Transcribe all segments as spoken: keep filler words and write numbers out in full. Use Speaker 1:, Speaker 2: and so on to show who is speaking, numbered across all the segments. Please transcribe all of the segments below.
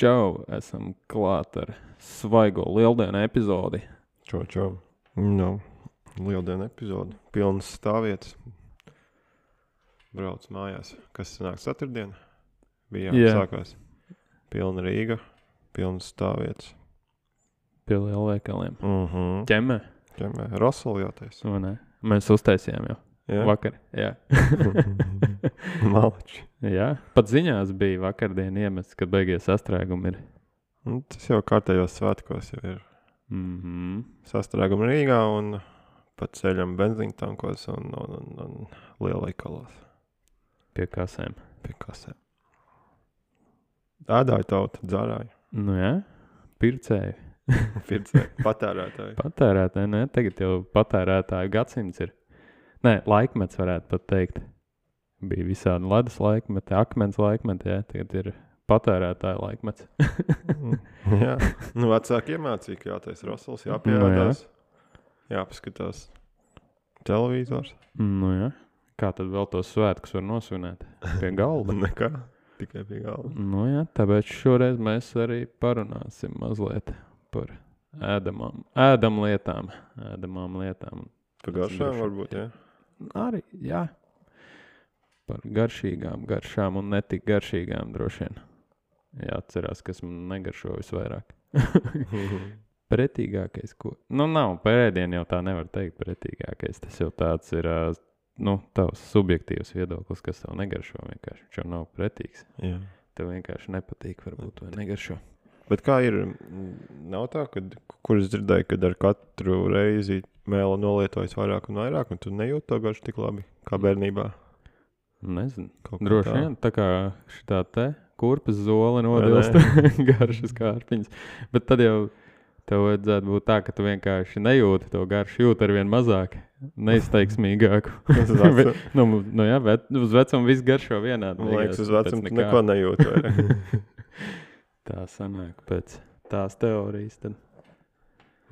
Speaker 1: Čau, esam klāt ar svaigo lieldienu epizodi.
Speaker 2: Čau, čau. No, lieldienu epizodi. Pilnas stāvvietas. Brauc mājās. Kas sanāk ceturtdien? Bija
Speaker 1: Jā.
Speaker 2: sākās. Pilna Rīga. Pilnas stāvvietas.
Speaker 1: Pie lielveikaliem.
Speaker 2: Mhm.
Speaker 1: Ķemē,
Speaker 2: Ķemē. Rosoli jātais.
Speaker 1: vai ne? Mēs uztaisījām jau
Speaker 2: Jā.
Speaker 1: vakar. Jā.
Speaker 2: Malači.
Speaker 1: Jā. Pat ziņās bija vakardien iemests, kad beigies sastrēgumi ir.
Speaker 2: Nu, tas jau kārtējos svētkos jau ir
Speaker 1: Mhm.
Speaker 2: sastrēgumi Rīgā un pat ceļam benzīntankos un, un, un, un lielveikalos
Speaker 1: Pie kasēm.
Speaker 2: pie kasēm. Ēdāja tauta, dzārāja.
Speaker 1: Nu jā, pircēji.
Speaker 2: Pircēji, patērētāji.
Speaker 1: Patērētāji, ne? Tagad jau patērētāju gadsimts ir. Nē, laikmets varētu pat teikt. Bija visādi ledus laikmeti, akmens laikmeti, jā. Tagad ir patērētāju laikmets.
Speaker 2: Jā, nu vecāki iemācīja, ka jātais rosols, jāpieēdās, jāpaskatās televizors.
Speaker 1: Nu jā. Kā tad vēl tos svētkus var nosvinēt? Pie galda.
Speaker 2: Nekā, tikai pie galda.
Speaker 1: Nu jā, tāpēc šoreiz mēs arī parunāsim mazliet par ēdamām, ēdam lietām, ēdamām lietām.
Speaker 2: Par garšām varbūt, jā.
Speaker 1: Arī, jā. Par garšīgām garšām un netik garšīgām droši vien. Jāatcerās, kas man negaršo visvairāk. Pretīgākais, ko... Nu, nav, par ēdienu jau tā nevar teikt pretīgākais. Tas jau tāds ir, ā, nu, tavs subjektīvs viedoklis, kas tev negaršo vienkārši. Viņš jau nav pretīgs.
Speaker 2: Jā.
Speaker 1: Tev vienkārši nepatīk, varbūt, vai negaršo.
Speaker 2: Bet kā ir, nav tā, kad, kur es dzirdēju, kad ar katru reizi mēla nolietojas vairāk un vairāk, un tu nejūt to garšu tik labi, kā bērnībā?
Speaker 1: Nezinu.
Speaker 2: Kaut kā
Speaker 1: Droši
Speaker 2: tā.
Speaker 1: vien, tā kā šitā te kurpes zole nodilst garšas kārpiņas. Bet tad jau tev vajadzētu būt tā, ka tu vienkārši nejūti to garšu, jūt arvien mazāk, neizteiksmīgāku.
Speaker 2: Uz vecu-
Speaker 1: nu, nu jā, bet uz vecumu viss garšo vienādi.
Speaker 2: Man liekas, uz
Speaker 1: pēc
Speaker 2: vecumu tu
Speaker 1: nekā.
Speaker 2: neko nejūt vairāk.
Speaker 1: Tā sanāk pēc tās teorijas. Tad.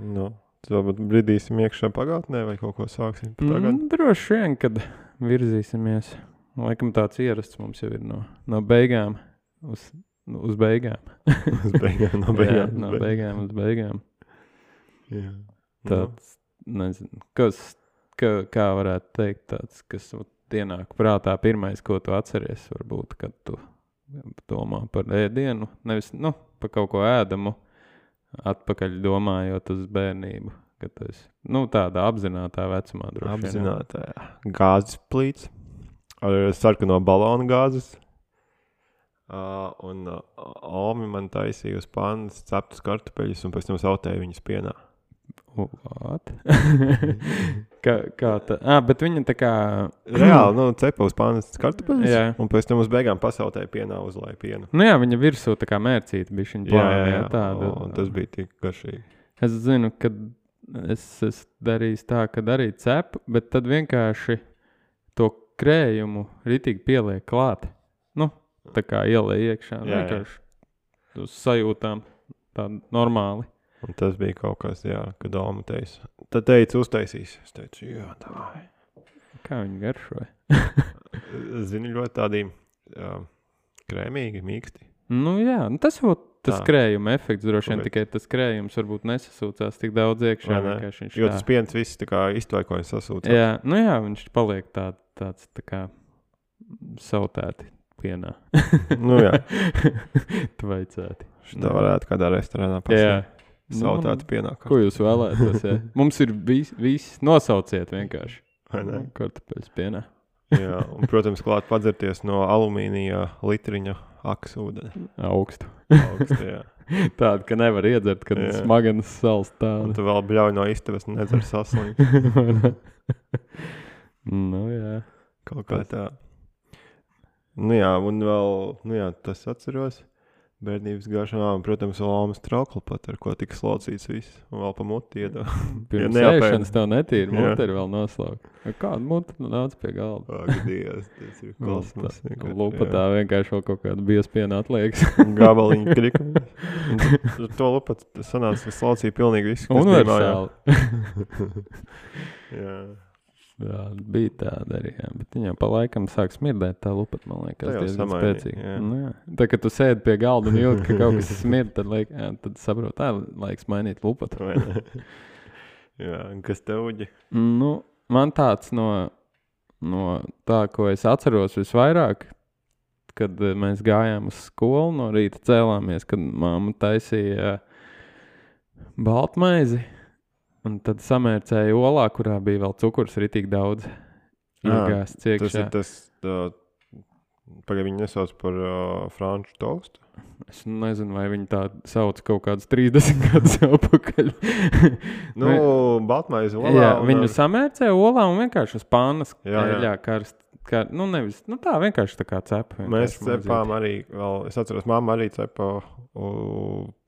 Speaker 2: Nu, tu varbūt bridīsim iekšā pagātnē vai kaut ko sāksim par tagad?
Speaker 1: Mm, droši vien, kad virzīsimies. Laikam tāds ierasts mums jau ir no, no beigām uz, nu, uz beigām.
Speaker 2: Uz beigām, no beigām.
Speaker 1: Jā,
Speaker 2: uz
Speaker 1: no
Speaker 2: beigām.
Speaker 1: beigām uz beigām.
Speaker 2: Jā.
Speaker 1: Tāds, nezinu, kas, kā, kā varētu teikt, tāds, kas ienāk prātā pirmais, ko tu atceries, varbūt, kad tu domā par ēdienu, nevis, nu, par kaut ko ēdamu, atpakaļ domājot uz bērnību, kad tu esi, nu, tādā apzinātā vecumā droši vien.
Speaker 2: Apzinātā, jā. Gāzes plīts ar sarkano balonu gāzes. Uh, un uh, Omi man taisīja uz pannas ceptus kartupeļus un pēc tam sautēja viņus pienā.
Speaker 1: What? kā, kā tā? Ah, bet viņa tā kā...
Speaker 2: Reāli, nu, cepa uz pannas kartupeļus
Speaker 1: Jā.
Speaker 2: un pēc tam uz beigām pasautēja pienā, uzlēja pienu.
Speaker 1: Nu jā, viņa virsū tā kā mērcīta bija viņa plāna. Jā, tāda.
Speaker 2: Un tas bija tik garšīgi.
Speaker 1: Es zinu, kad es esmu darījis tā, kad arī cepu, bet tad vienkārši to krējumu ritīgi pieliek klāt. Nu, tā kā ielēja iekšā.
Speaker 2: Jā, jā.
Speaker 1: Vienkārši uz sajūtām tā normāli.
Speaker 2: Un tas bija kaut kas, jā, kad Oma teica. Tad teica, uztaisīs. Es teicu, jā, tā.
Speaker 1: Kā viņi garšoja?
Speaker 2: Zini, ļoti tādi jā, krēmīgi, mīksti.
Speaker 1: Nu jā, nu tas jau tas
Speaker 2: Tā.
Speaker 1: krējuma efekts droši vien,
Speaker 2: Tāpēc.
Speaker 1: tikai tas krējums varbūt nesasūcās tik daudz iekšā.
Speaker 2: Vai ne?
Speaker 1: vienkārši viņš
Speaker 2: Jo
Speaker 1: tā-
Speaker 2: tas piens viss tā kā iztvaikojas sasūcās.
Speaker 1: Jā, nu jā, viņš paliek tā, tāds tā kā sautēti pienā.
Speaker 2: Nu jā,
Speaker 1: Tvaicēti.
Speaker 2: šitā varētu kādā restorānā
Speaker 1: Jā.
Speaker 2: pasniegt.
Speaker 1: Nu,
Speaker 2: Sautētu pienā.
Speaker 1: ko jūs vēlētos? Jā? Mums ir viss, vis, nosauciet vienkārši.
Speaker 2: Vai ne?
Speaker 1: Kartupeļus pienā.
Speaker 2: Jā, un, protams, klāt padzerties no alumīnija litriņa akas ūdeni.
Speaker 1: Augstu.
Speaker 2: Augstu, jā.
Speaker 1: Tādu, ka nevar iedzert, kad
Speaker 2: Jā.
Speaker 1: smagenas sals
Speaker 2: Un
Speaker 1: tādu.
Speaker 2: tu vēl bļauj no istabas un nedzer saslimt.
Speaker 1: Nu jā.
Speaker 2: Kaut kā tā. Nu jā, un vēl, nu jā, tas atceros. Bērnības garšām, protams, vēl Omas traukli pat, ar ko tika slocīts viss. Un vēl pa muti iedā.
Speaker 1: Pirms
Speaker 2: Ja neapēd.
Speaker 1: ēšanas tev netīra,
Speaker 2: Jā.
Speaker 1: muti ir vēl noslaukt. Kādu muti tu nāc pie galda?
Speaker 2: Ak, Dievs, tas ir kosmos. vienkārši,
Speaker 1: Lupatā vienkārši vēl kaut kādu biespienu atliekas.
Speaker 2: jā. Gabaliņu krikumu. To lupat sanāca, ka slaucīja pilnīgi visu, kas bija mājā.
Speaker 1: Universāli.
Speaker 2: Jā.
Speaker 1: Jā, bija tāda arī, jā. Bet viņa jau pa laikam sāk smirdēt tā lupat, man liekas,
Speaker 2: Tā jau
Speaker 1: diezgan
Speaker 2: samainīja,
Speaker 1: spēcīgi.
Speaker 2: jā.
Speaker 1: Nu, jā. Tā, kad tu sēdi pie galda un jūti, ka kaut kas smird, tad, laik, jā, tad saprot, tā laiks mainīt lupatu.
Speaker 2: Vai ne? Jā, un kas tev uģi?
Speaker 1: Nu, man tāds no, no tā, ko es atceros visvairāk, kad eh, mēs gājām uz skolu, no rīta cēlāmies, kad mamma taisīja baltmaizi, un tad samērcēja olā, kurā bija vēl cukurs ritīgi daudz iegāsts
Speaker 2: Tas
Speaker 1: iekšā.
Speaker 2: ir tas, uh, pagaid viņi nesauc par uh, franču tostu?
Speaker 1: Es nezinu, vai viņi tā sauc kaut kādus trīsdesmit gadus atpakaļ.
Speaker 2: Nu, baltmaizi olā.
Speaker 1: Jā,
Speaker 2: un
Speaker 1: viņu
Speaker 2: ar-
Speaker 1: samērcēja olā un vienkārši uz pānas
Speaker 2: Jā, jā.
Speaker 1: eļļā karst. Kā, nu, nevis, nu tā vienkārši tā kā cepa.
Speaker 2: Mēs
Speaker 1: vienkārši
Speaker 2: cepām arī, vēl, es atceros, mamma arī cepa, u,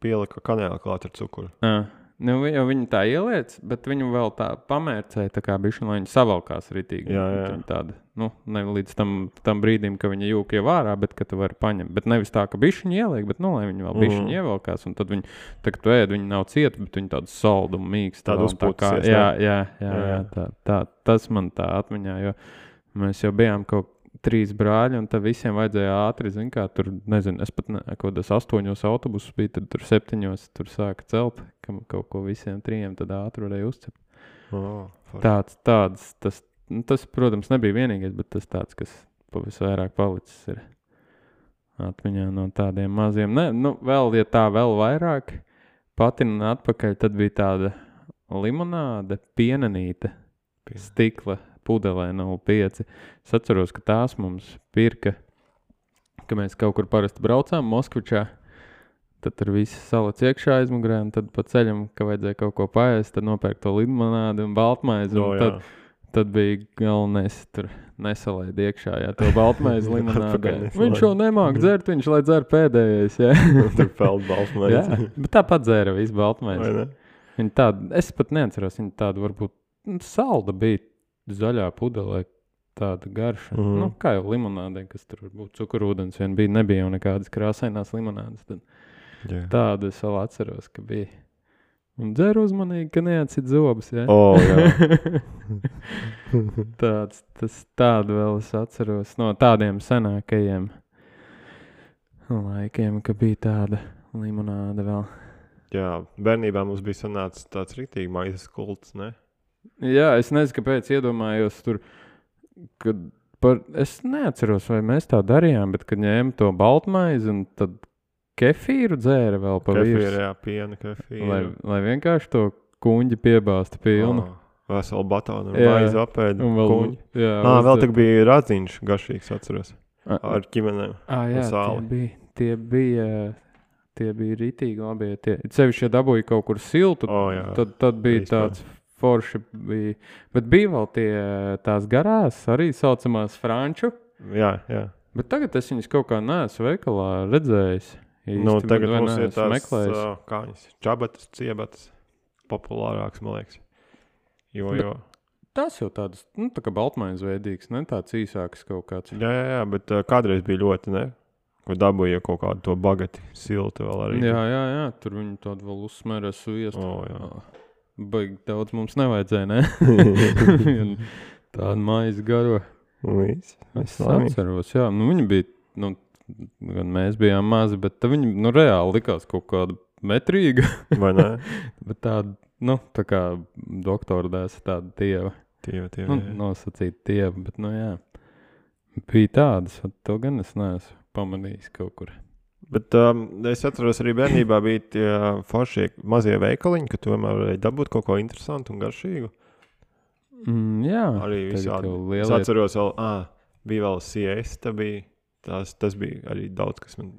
Speaker 2: pielika kanēli klāt ar cukuru.
Speaker 1: Jā. Nu, vi- jau viņi tā ieliec, bet viņu vēl tā pamērcēja, tā kā bišķi, lai viņi savalkās ritīgi.
Speaker 2: Jā, jā.
Speaker 1: Viņa tāda, nu, ne līdz tam, tam brīdim, ka viņa jūka jau ārā, bet ka tu vari paņemt. Bet nevis tā, ka bišķiņi ieliek, bet, nu, lai viņi vēl bišķiņi
Speaker 2: Mhm.
Speaker 1: ievalkās, un tad viņi, tā, kad tu ēd, viņi nav cieti, bet viņi tādu saldu un mīkstu.
Speaker 2: Tādu
Speaker 1: vēl, un tā kā-
Speaker 2: uzpūtusies,
Speaker 1: Jā,
Speaker 2: ne?
Speaker 1: jā, jā,
Speaker 2: Jā,
Speaker 1: jā,
Speaker 2: jā.
Speaker 1: tā, tā, tas man tā atmiņā, jo mēs jau bijām kaut trīs brāļi, un tad visiem vajadzēja ātri, zin kā, tur, nezinu, es pat ne, kaut kādos astoņos autobusus biju, tad tur septiņos tur sāka celt, kam kaut ko visiem trījiem tad ātri varēja uzcept.
Speaker 2: Oh,
Speaker 1: Tāds, tāds, tas, nu, tas, protams, nebija vienīgais, bet tas tāds, kas pavisvairāk palicis ir atmiņā no tādiem maziem. Ne, nu, vēl, ja tā vēl vairāk, patin un atpakaļ, tad bija tāda limonāde, pienenīte,
Speaker 2: Pien-
Speaker 1: stikla pudelē nulle pieci. Es atceros, ka tās mums pirka, ka mēs kaut kur parasti braucām Moskvičā, tad tur viss salats iekšā aizmugurē, un tad pa ceļam, ka vajadzēja kaut ko paēst, tad nopērk to limonādi un baltmaizi,
Speaker 2: No,
Speaker 1: un
Speaker 2: jā.
Speaker 1: tad, tad bija galvenais tur nesalaid iekšā, jā, to baltmaizi limonādē.
Speaker 2: Atpakaļ nesalaid.
Speaker 1: Viņš jau nemāk dzert, viņš lai dzer pēdējais, jā.
Speaker 2: Tur peld baltmaizi.
Speaker 1: jā, bet tāpat dzēra visu
Speaker 2: Vai
Speaker 1: baltmaizi.
Speaker 2: ne?
Speaker 1: Viņa tāda, es pat neatceros, viņa tāda varbūt nu, salda bija zaļā pudelē, tāda garša.
Speaker 2: Mhm.
Speaker 1: Nu, kā jau limonādē, kas tur varbūt cukurūdens vien bija, nebija jau nekādas krāsainās limonādes. Tad
Speaker 2: Jā.
Speaker 1: tādu es vēl atceros, ka bija. Un dzer uzmanīgi, ka neatcit zobus, jā.
Speaker 2: O, jā.
Speaker 1: Tāds, tas tādu vēl es atceros no tādiem senākajiem laikiem, ka bija tāda limonāde vēl.
Speaker 2: Jā, bērnībā mums bija sanācis tāds riktīgi maizes kults, ne?
Speaker 1: Jā, es nezinu, kāpēc iedomājos tur, kad par, es neatceros, vai mēs tā darījām, bet kad ņēma to baltmaizi un tad kefīru dzēra vēl pa
Speaker 2: Kefīra,
Speaker 1: virsmu,
Speaker 2: jā, piena kefīra.
Speaker 1: lai, lai vienkārši to kuņģi piebāzta pilnu.
Speaker 2: Oh, veselu batonu un
Speaker 1: Jā.
Speaker 2: maizi apēd.
Speaker 1: Un vēl,
Speaker 2: kuņģi.
Speaker 1: jā,
Speaker 2: Ā, vēl
Speaker 1: uzdzēra.
Speaker 2: tak bija radziņš garšīgs, atceros.
Speaker 1: A-
Speaker 2: Ar ķimenēm.
Speaker 1: Ā, jā,
Speaker 2: un
Speaker 1: tie
Speaker 2: sāli.
Speaker 1: bija, tie bija, tie bija ritīgi labi. ja Tie, sevišķi, ja dabūja kaut kur siltu,
Speaker 2: O, jā.
Speaker 1: tad, tad bija
Speaker 2: Vispār.
Speaker 1: tāds forši. Bija. Bet bija vēl tie, tās garās, arī saucamās franču.
Speaker 2: Jā, jā.
Speaker 1: Bet tagad es viņus kaut kā neesmu veikalā redzējis. Īsti,
Speaker 2: Nu,
Speaker 1: bet
Speaker 2: tagad
Speaker 1: vai
Speaker 2: mums ir
Speaker 1: neesmu
Speaker 2: tās
Speaker 1: meklējis.
Speaker 2: uh, kāņas. Čabatas, ciebatas. Populārāks, man liekas. Jo,
Speaker 1: Bet-
Speaker 2: jo.
Speaker 1: Tas jau tāds, nu, tā kā baltmaiņas veidīgs, ne tāds īsāks kaut kāds.
Speaker 2: Jā, jā, jā, bet uh, kādreiz bija ļoti, ne? Ko dabūja kaut kādu to bagati siltu vēl arī.
Speaker 1: Jā, jā, jā, tur viņi tādu vēl uzsmērē sviestu.
Speaker 2: O, jā.
Speaker 1: Baigi daudz mums nevajadzēja, ne? Tāda maize garo.
Speaker 2: Viss.
Speaker 1: Es atceros, jā, nu viņi bija, nu, gan mēs bijām mazi, bet tā viņi, nu, reāli likās kaut kāda metrīga,
Speaker 2: Vai ne?
Speaker 1: bet tāda, nu, tā kā doktora dēsa tāda tieva,
Speaker 2: Tieva, tieva,
Speaker 1: nu,
Speaker 2: jā.
Speaker 1: nosacīta tieva, bet, nu, jā, bija tādas, vat to gan es neesmu pamanījis kaut kur.
Speaker 2: Bet um, es atceros, arī bērnībā bija tie foršie mazie veikaliņi, ka tu vienmēr varēji dabūt kaut ko interesantu un garšīgu.
Speaker 1: Mm, jā,
Speaker 2: Arī
Speaker 1: tagad
Speaker 2: visādi.
Speaker 1: jau
Speaker 2: Es
Speaker 1: lielie-
Speaker 2: atceros, vēl, ah, bija vēl siesta, bija, tās, tas bija arī daudz, kas man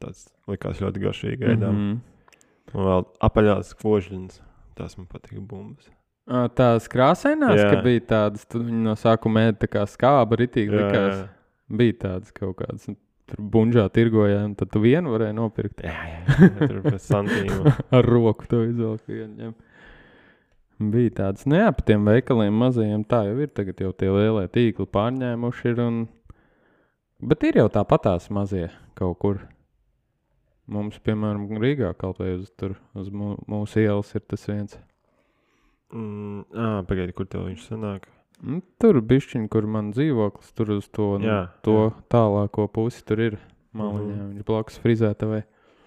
Speaker 2: tāds likās ļoti garšīgi ēdām.
Speaker 1: Mhm.
Speaker 2: Un vēl apaļās kožļinas, tās man patika bumbas.
Speaker 1: Ā, Tās krāsainās,
Speaker 2: Jā.
Speaker 1: ka bija tādas, tad viņi no sākuma ēda tā kā skāba ritīgi
Speaker 2: Jā,
Speaker 1: likās.
Speaker 2: jā.
Speaker 1: Bija tādas kaut kādas, un tur bunžā tirgoja, un tad tu vienu varēji nopirkt.
Speaker 2: Jā, jā, jā, tur pēc santīma.
Speaker 1: Ar roku to izvelk vienu ņem. Bija tāds, nu jā, pa tiem veikaliem mazajiem tā jau ir, tagad jau tie lielie tīkli pārņēmuši ir, un... Bet ir jau tāpatās mazie kaut kur. Mums, piemēram, Rīgā kaut vai uz, tur, uz mū- mūsu ielas ir tas viens.
Speaker 2: Mm, ā, pagaidi, kur tev viņš sanāk?
Speaker 1: Nu, tur bišķiņ, kur man dzīvoklis, tur uz to, nu,
Speaker 2: Jā,
Speaker 1: to
Speaker 2: jā.
Speaker 1: tālāko pusi tur ir maliņā.
Speaker 2: Mhm.
Speaker 1: Viņš blakus frizētavai.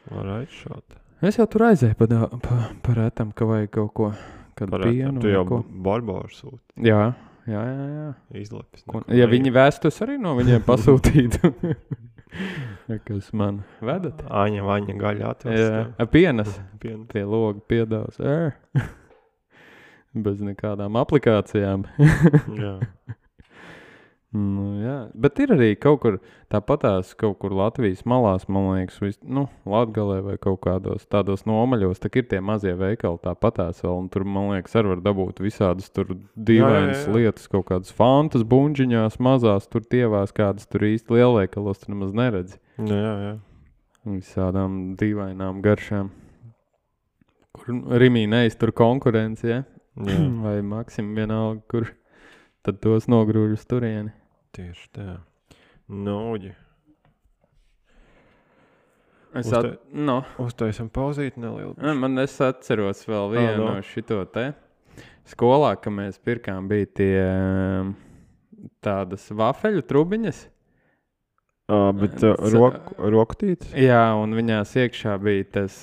Speaker 2: Varētu šādi.
Speaker 1: Es jau tur aizēju pa, dā- pa, pa retam, ka vajag kaut ko, kad
Speaker 2: Parādā,
Speaker 1: pienu
Speaker 2: tu
Speaker 1: vai
Speaker 2: jau
Speaker 1: ko.
Speaker 2: barbaru sūti.
Speaker 1: Jā, jā, jā, jā.
Speaker 2: Izlepis.
Speaker 1: Ko,
Speaker 2: neko
Speaker 1: ja
Speaker 2: neie-
Speaker 1: viņi vēstus arī no viņiem pasūtītu. Ja, kas man vedat?
Speaker 2: Aņa, vaņa, gaļa atvest.
Speaker 1: Jā, a, pienas.
Speaker 2: Pienu.
Speaker 1: Pie loga piedāvās. Ē. Bez nekādām aplikācijām.
Speaker 2: Jā.
Speaker 1: Nu, jā. Bet ir arī kaut kur tāpatās, kaut kur Latvijas malās, man liekas, vis, nu, Latgalē vai kaut kādos tādos nomaļos, tā ir tie mazie veikali tāpatās vēl, un tur, man liekas, arī var dabūt visādas tur dīvainas
Speaker 2: Jā, jā, jā.
Speaker 1: lietas, kaut kādas fantas, buņģiņās, mazās, tur tievās, kādas tur īsti lielveikalos, tur nemaz neredzi.
Speaker 2: Jā, jā, jā.
Speaker 1: Visādām dīvainām garšām. Kur Rimī neiztur konkurenci, ja?
Speaker 2: Jā.
Speaker 1: Vai Maksim vienalga, kur tad tos nogrūž uz turieni.
Speaker 2: Tieši tā. Nūģi.
Speaker 1: Es
Speaker 2: Uzta-
Speaker 1: at... No.
Speaker 2: Uztaisam pauzīt nelielu.
Speaker 1: Ne, Man es atceros vēl vienu
Speaker 2: no.
Speaker 1: no šito te. Skolā, ka mēs pirkām, bija tie um, tādas vafeļu trubiņas.
Speaker 2: Uh, bet uh,
Speaker 1: S-
Speaker 2: roku, rokutītes?
Speaker 1: Jā, un viņās iekšā bija tas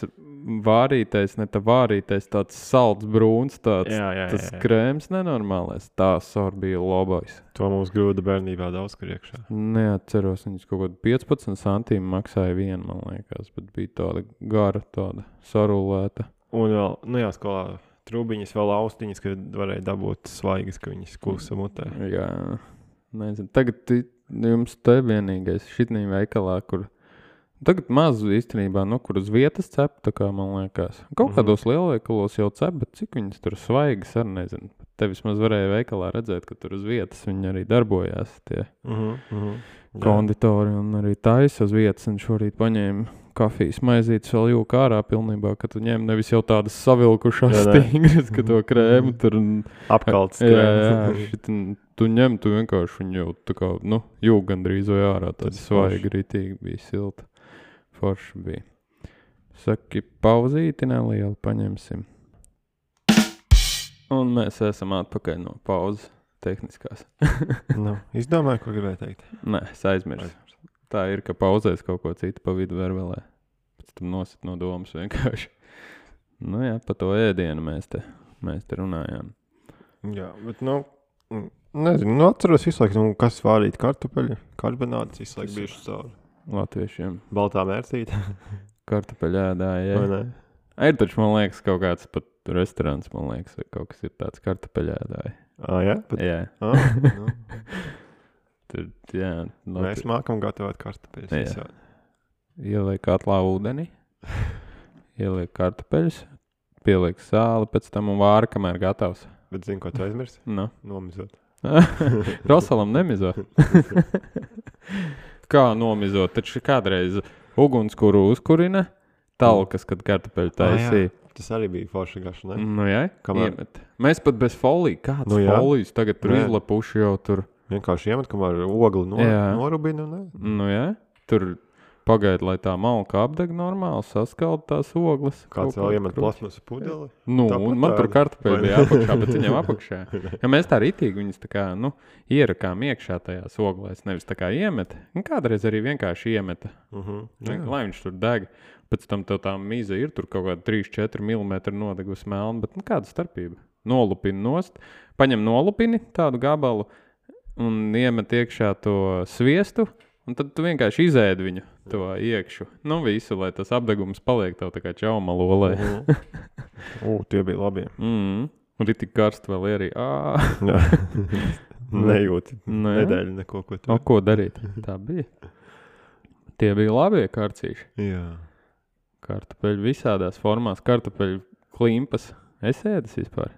Speaker 1: vārītais, ne tā vārītais, tāds salds brūns, tāds
Speaker 2: Jā, jā,
Speaker 1: tas
Speaker 2: jā, jā.
Speaker 1: krēms nenormālais. Tā sor bija labais.
Speaker 2: To mums grūda bērnībā daudz kur iekšā.
Speaker 1: Neatceros, viņas kaut kādu piecpadsmit centīmu maksāja vienu, man liekas, bet bija tāda gara, tāda sarulēta.
Speaker 2: Un vēl, nu jā, skolā trubiņas, vēl austiņas, ka varēja dabūt svaigas, ka viņas klusa mutē.
Speaker 1: Jā, nezinu. Tagad ti- jums te vienīgais šitnī veikalā, kur tagad maz īstenībā, nu, kur uz vietas cep, tā kā man liekas. Kaut
Speaker 2: Mhm.
Speaker 1: kādos lielveikalos jau cep, bet cik viņas tur svaigas, arī nezinu. Te vismaz varēja veikalā redzēt, ka tur uz vietas viņi arī darbojās, tie
Speaker 2: Mhm, mhm. Jā.
Speaker 1: konditori un arī taisa uz vietas. Un šorīt paņēma kafijas maizītes vēl jūka ārā pilnībā, ka tu ņem nevis jau tādas savilkušās
Speaker 2: Jā, nē.
Speaker 1: stingras, ka to krēmu tur un
Speaker 2: Apkalts
Speaker 1: jā, jā,
Speaker 2: krēms.
Speaker 1: šit, tu ņem, tu vienkārši viņu jau tā kā, nu, jūg gandrīz vai ārā, tāds
Speaker 2: Tas
Speaker 1: svaigi ritīgi bija silta. Forši bija. Saki, pauzīti nelielu paņemsim. Un mēs esam atpakaļ no pauzes tehniskās.
Speaker 2: Nu, izdomāju, ko gribēju teikt.
Speaker 1: Nē, es aizmirsu. Tā ir, ka pauzēs kaut ko citu pa vidu vervelē. Pēc tam nosit no domas vienkārši. Nu jā, pa to ēdienu mēs te, mēs te runājām.
Speaker 2: Jā, bet, nu, mm, nezinu, nu, atceros visu laiku, nu, kas vārīt kartupeļu, karbonāts, visu laiku
Speaker 1: Tas ir-
Speaker 2: bijuši cauri.
Speaker 1: Latviešiem
Speaker 2: Baltā mērcīte,
Speaker 1: kartupeļu ēdāja.
Speaker 2: vai
Speaker 1: Ja?
Speaker 2: ne?
Speaker 1: Ir taču, man liekas, kaut kāds pat restorāns, man liekas, vai kaut kas ir tāds kartupeļu ēdāja.
Speaker 2: Ā, jā? Bet,
Speaker 1: Jā,
Speaker 2: ā, nu,
Speaker 1: tur, jā.
Speaker 2: mēs
Speaker 1: Latvi...
Speaker 2: mākam gatavot kartupeļus.
Speaker 1: Jā.
Speaker 2: visādi.
Speaker 1: Ieliek katlā ūdeni, ieliek kartupeļus, pieliek sāli, pēc tam un vāra, kamēr gatavs.
Speaker 2: Bet zinu, ko tu aizmirsti?
Speaker 1: Nu.
Speaker 2: Nomizot.
Speaker 1: Rosalam nemizo. Kā nomizot? Taču kādreiz ugunskura uzkurina talkas, kad kartupeļu taisīja.
Speaker 2: Tas arī bija forša gaša, ne?
Speaker 1: Nu jā,
Speaker 2: Kamēr-
Speaker 1: iemet. Mēs pat bez folija. Kāds
Speaker 2: Nu
Speaker 1: nu,
Speaker 2: jā.
Speaker 1: folijas tagad tur
Speaker 2: Nē.
Speaker 1: izlapuši jau tur.
Speaker 2: Vienkārši iemet, kamēr ogli no,
Speaker 1: Jā.
Speaker 2: norubina, ne?
Speaker 1: Nu jā, tur pagaida, lai tā malka apdeg normāli, saskalda tās ogles.
Speaker 2: Kāds
Speaker 1: kaut
Speaker 2: vēl
Speaker 1: kādu
Speaker 2: iemet
Speaker 1: kruķi.
Speaker 2: plasmasu pudeli?
Speaker 1: Nu,
Speaker 2: Tāpat
Speaker 1: un man tur
Speaker 2: tāda.
Speaker 1: kartupeļi
Speaker 2: Vai
Speaker 1: bija
Speaker 2: ne?
Speaker 1: apakšā, bet viņam apakšā. Ja mēs tā ritīgi viņus tā kā, nu, ierakām iekšā tajās oglēs, nevis tā kā iemet. Un kādreiz arī vienkārši iemeta,
Speaker 2: Uh -huh.
Speaker 1: lai viņš tur deg. Pēc tam tev tā mīza ir tur kaut kāda trīs četri milimetri nodegusi melna, bet nu, kāda starpība? Nolupini nost, paņem nolupini tādu gabalu un iemet iekšā to sviestu, un tad tu vienkārši izēdi viņu to iekšu. Nu, visu, lai tas apdegums paliek tev tā kā čaumalolē.
Speaker 2: U, tie bija labi.
Speaker 1: Mm. Un ir tik karsti vēl arī. Ā,
Speaker 2: Jā. Nejūti
Speaker 1: nu, jā.
Speaker 2: nedēļu neko, ko tu.
Speaker 1: O, ko darīt? Tā bija. Tie bija labie karcīši.
Speaker 2: Jā.
Speaker 1: Kartupeļi visādās formās. Kartupeļu klimpas. Es ēdas vispār.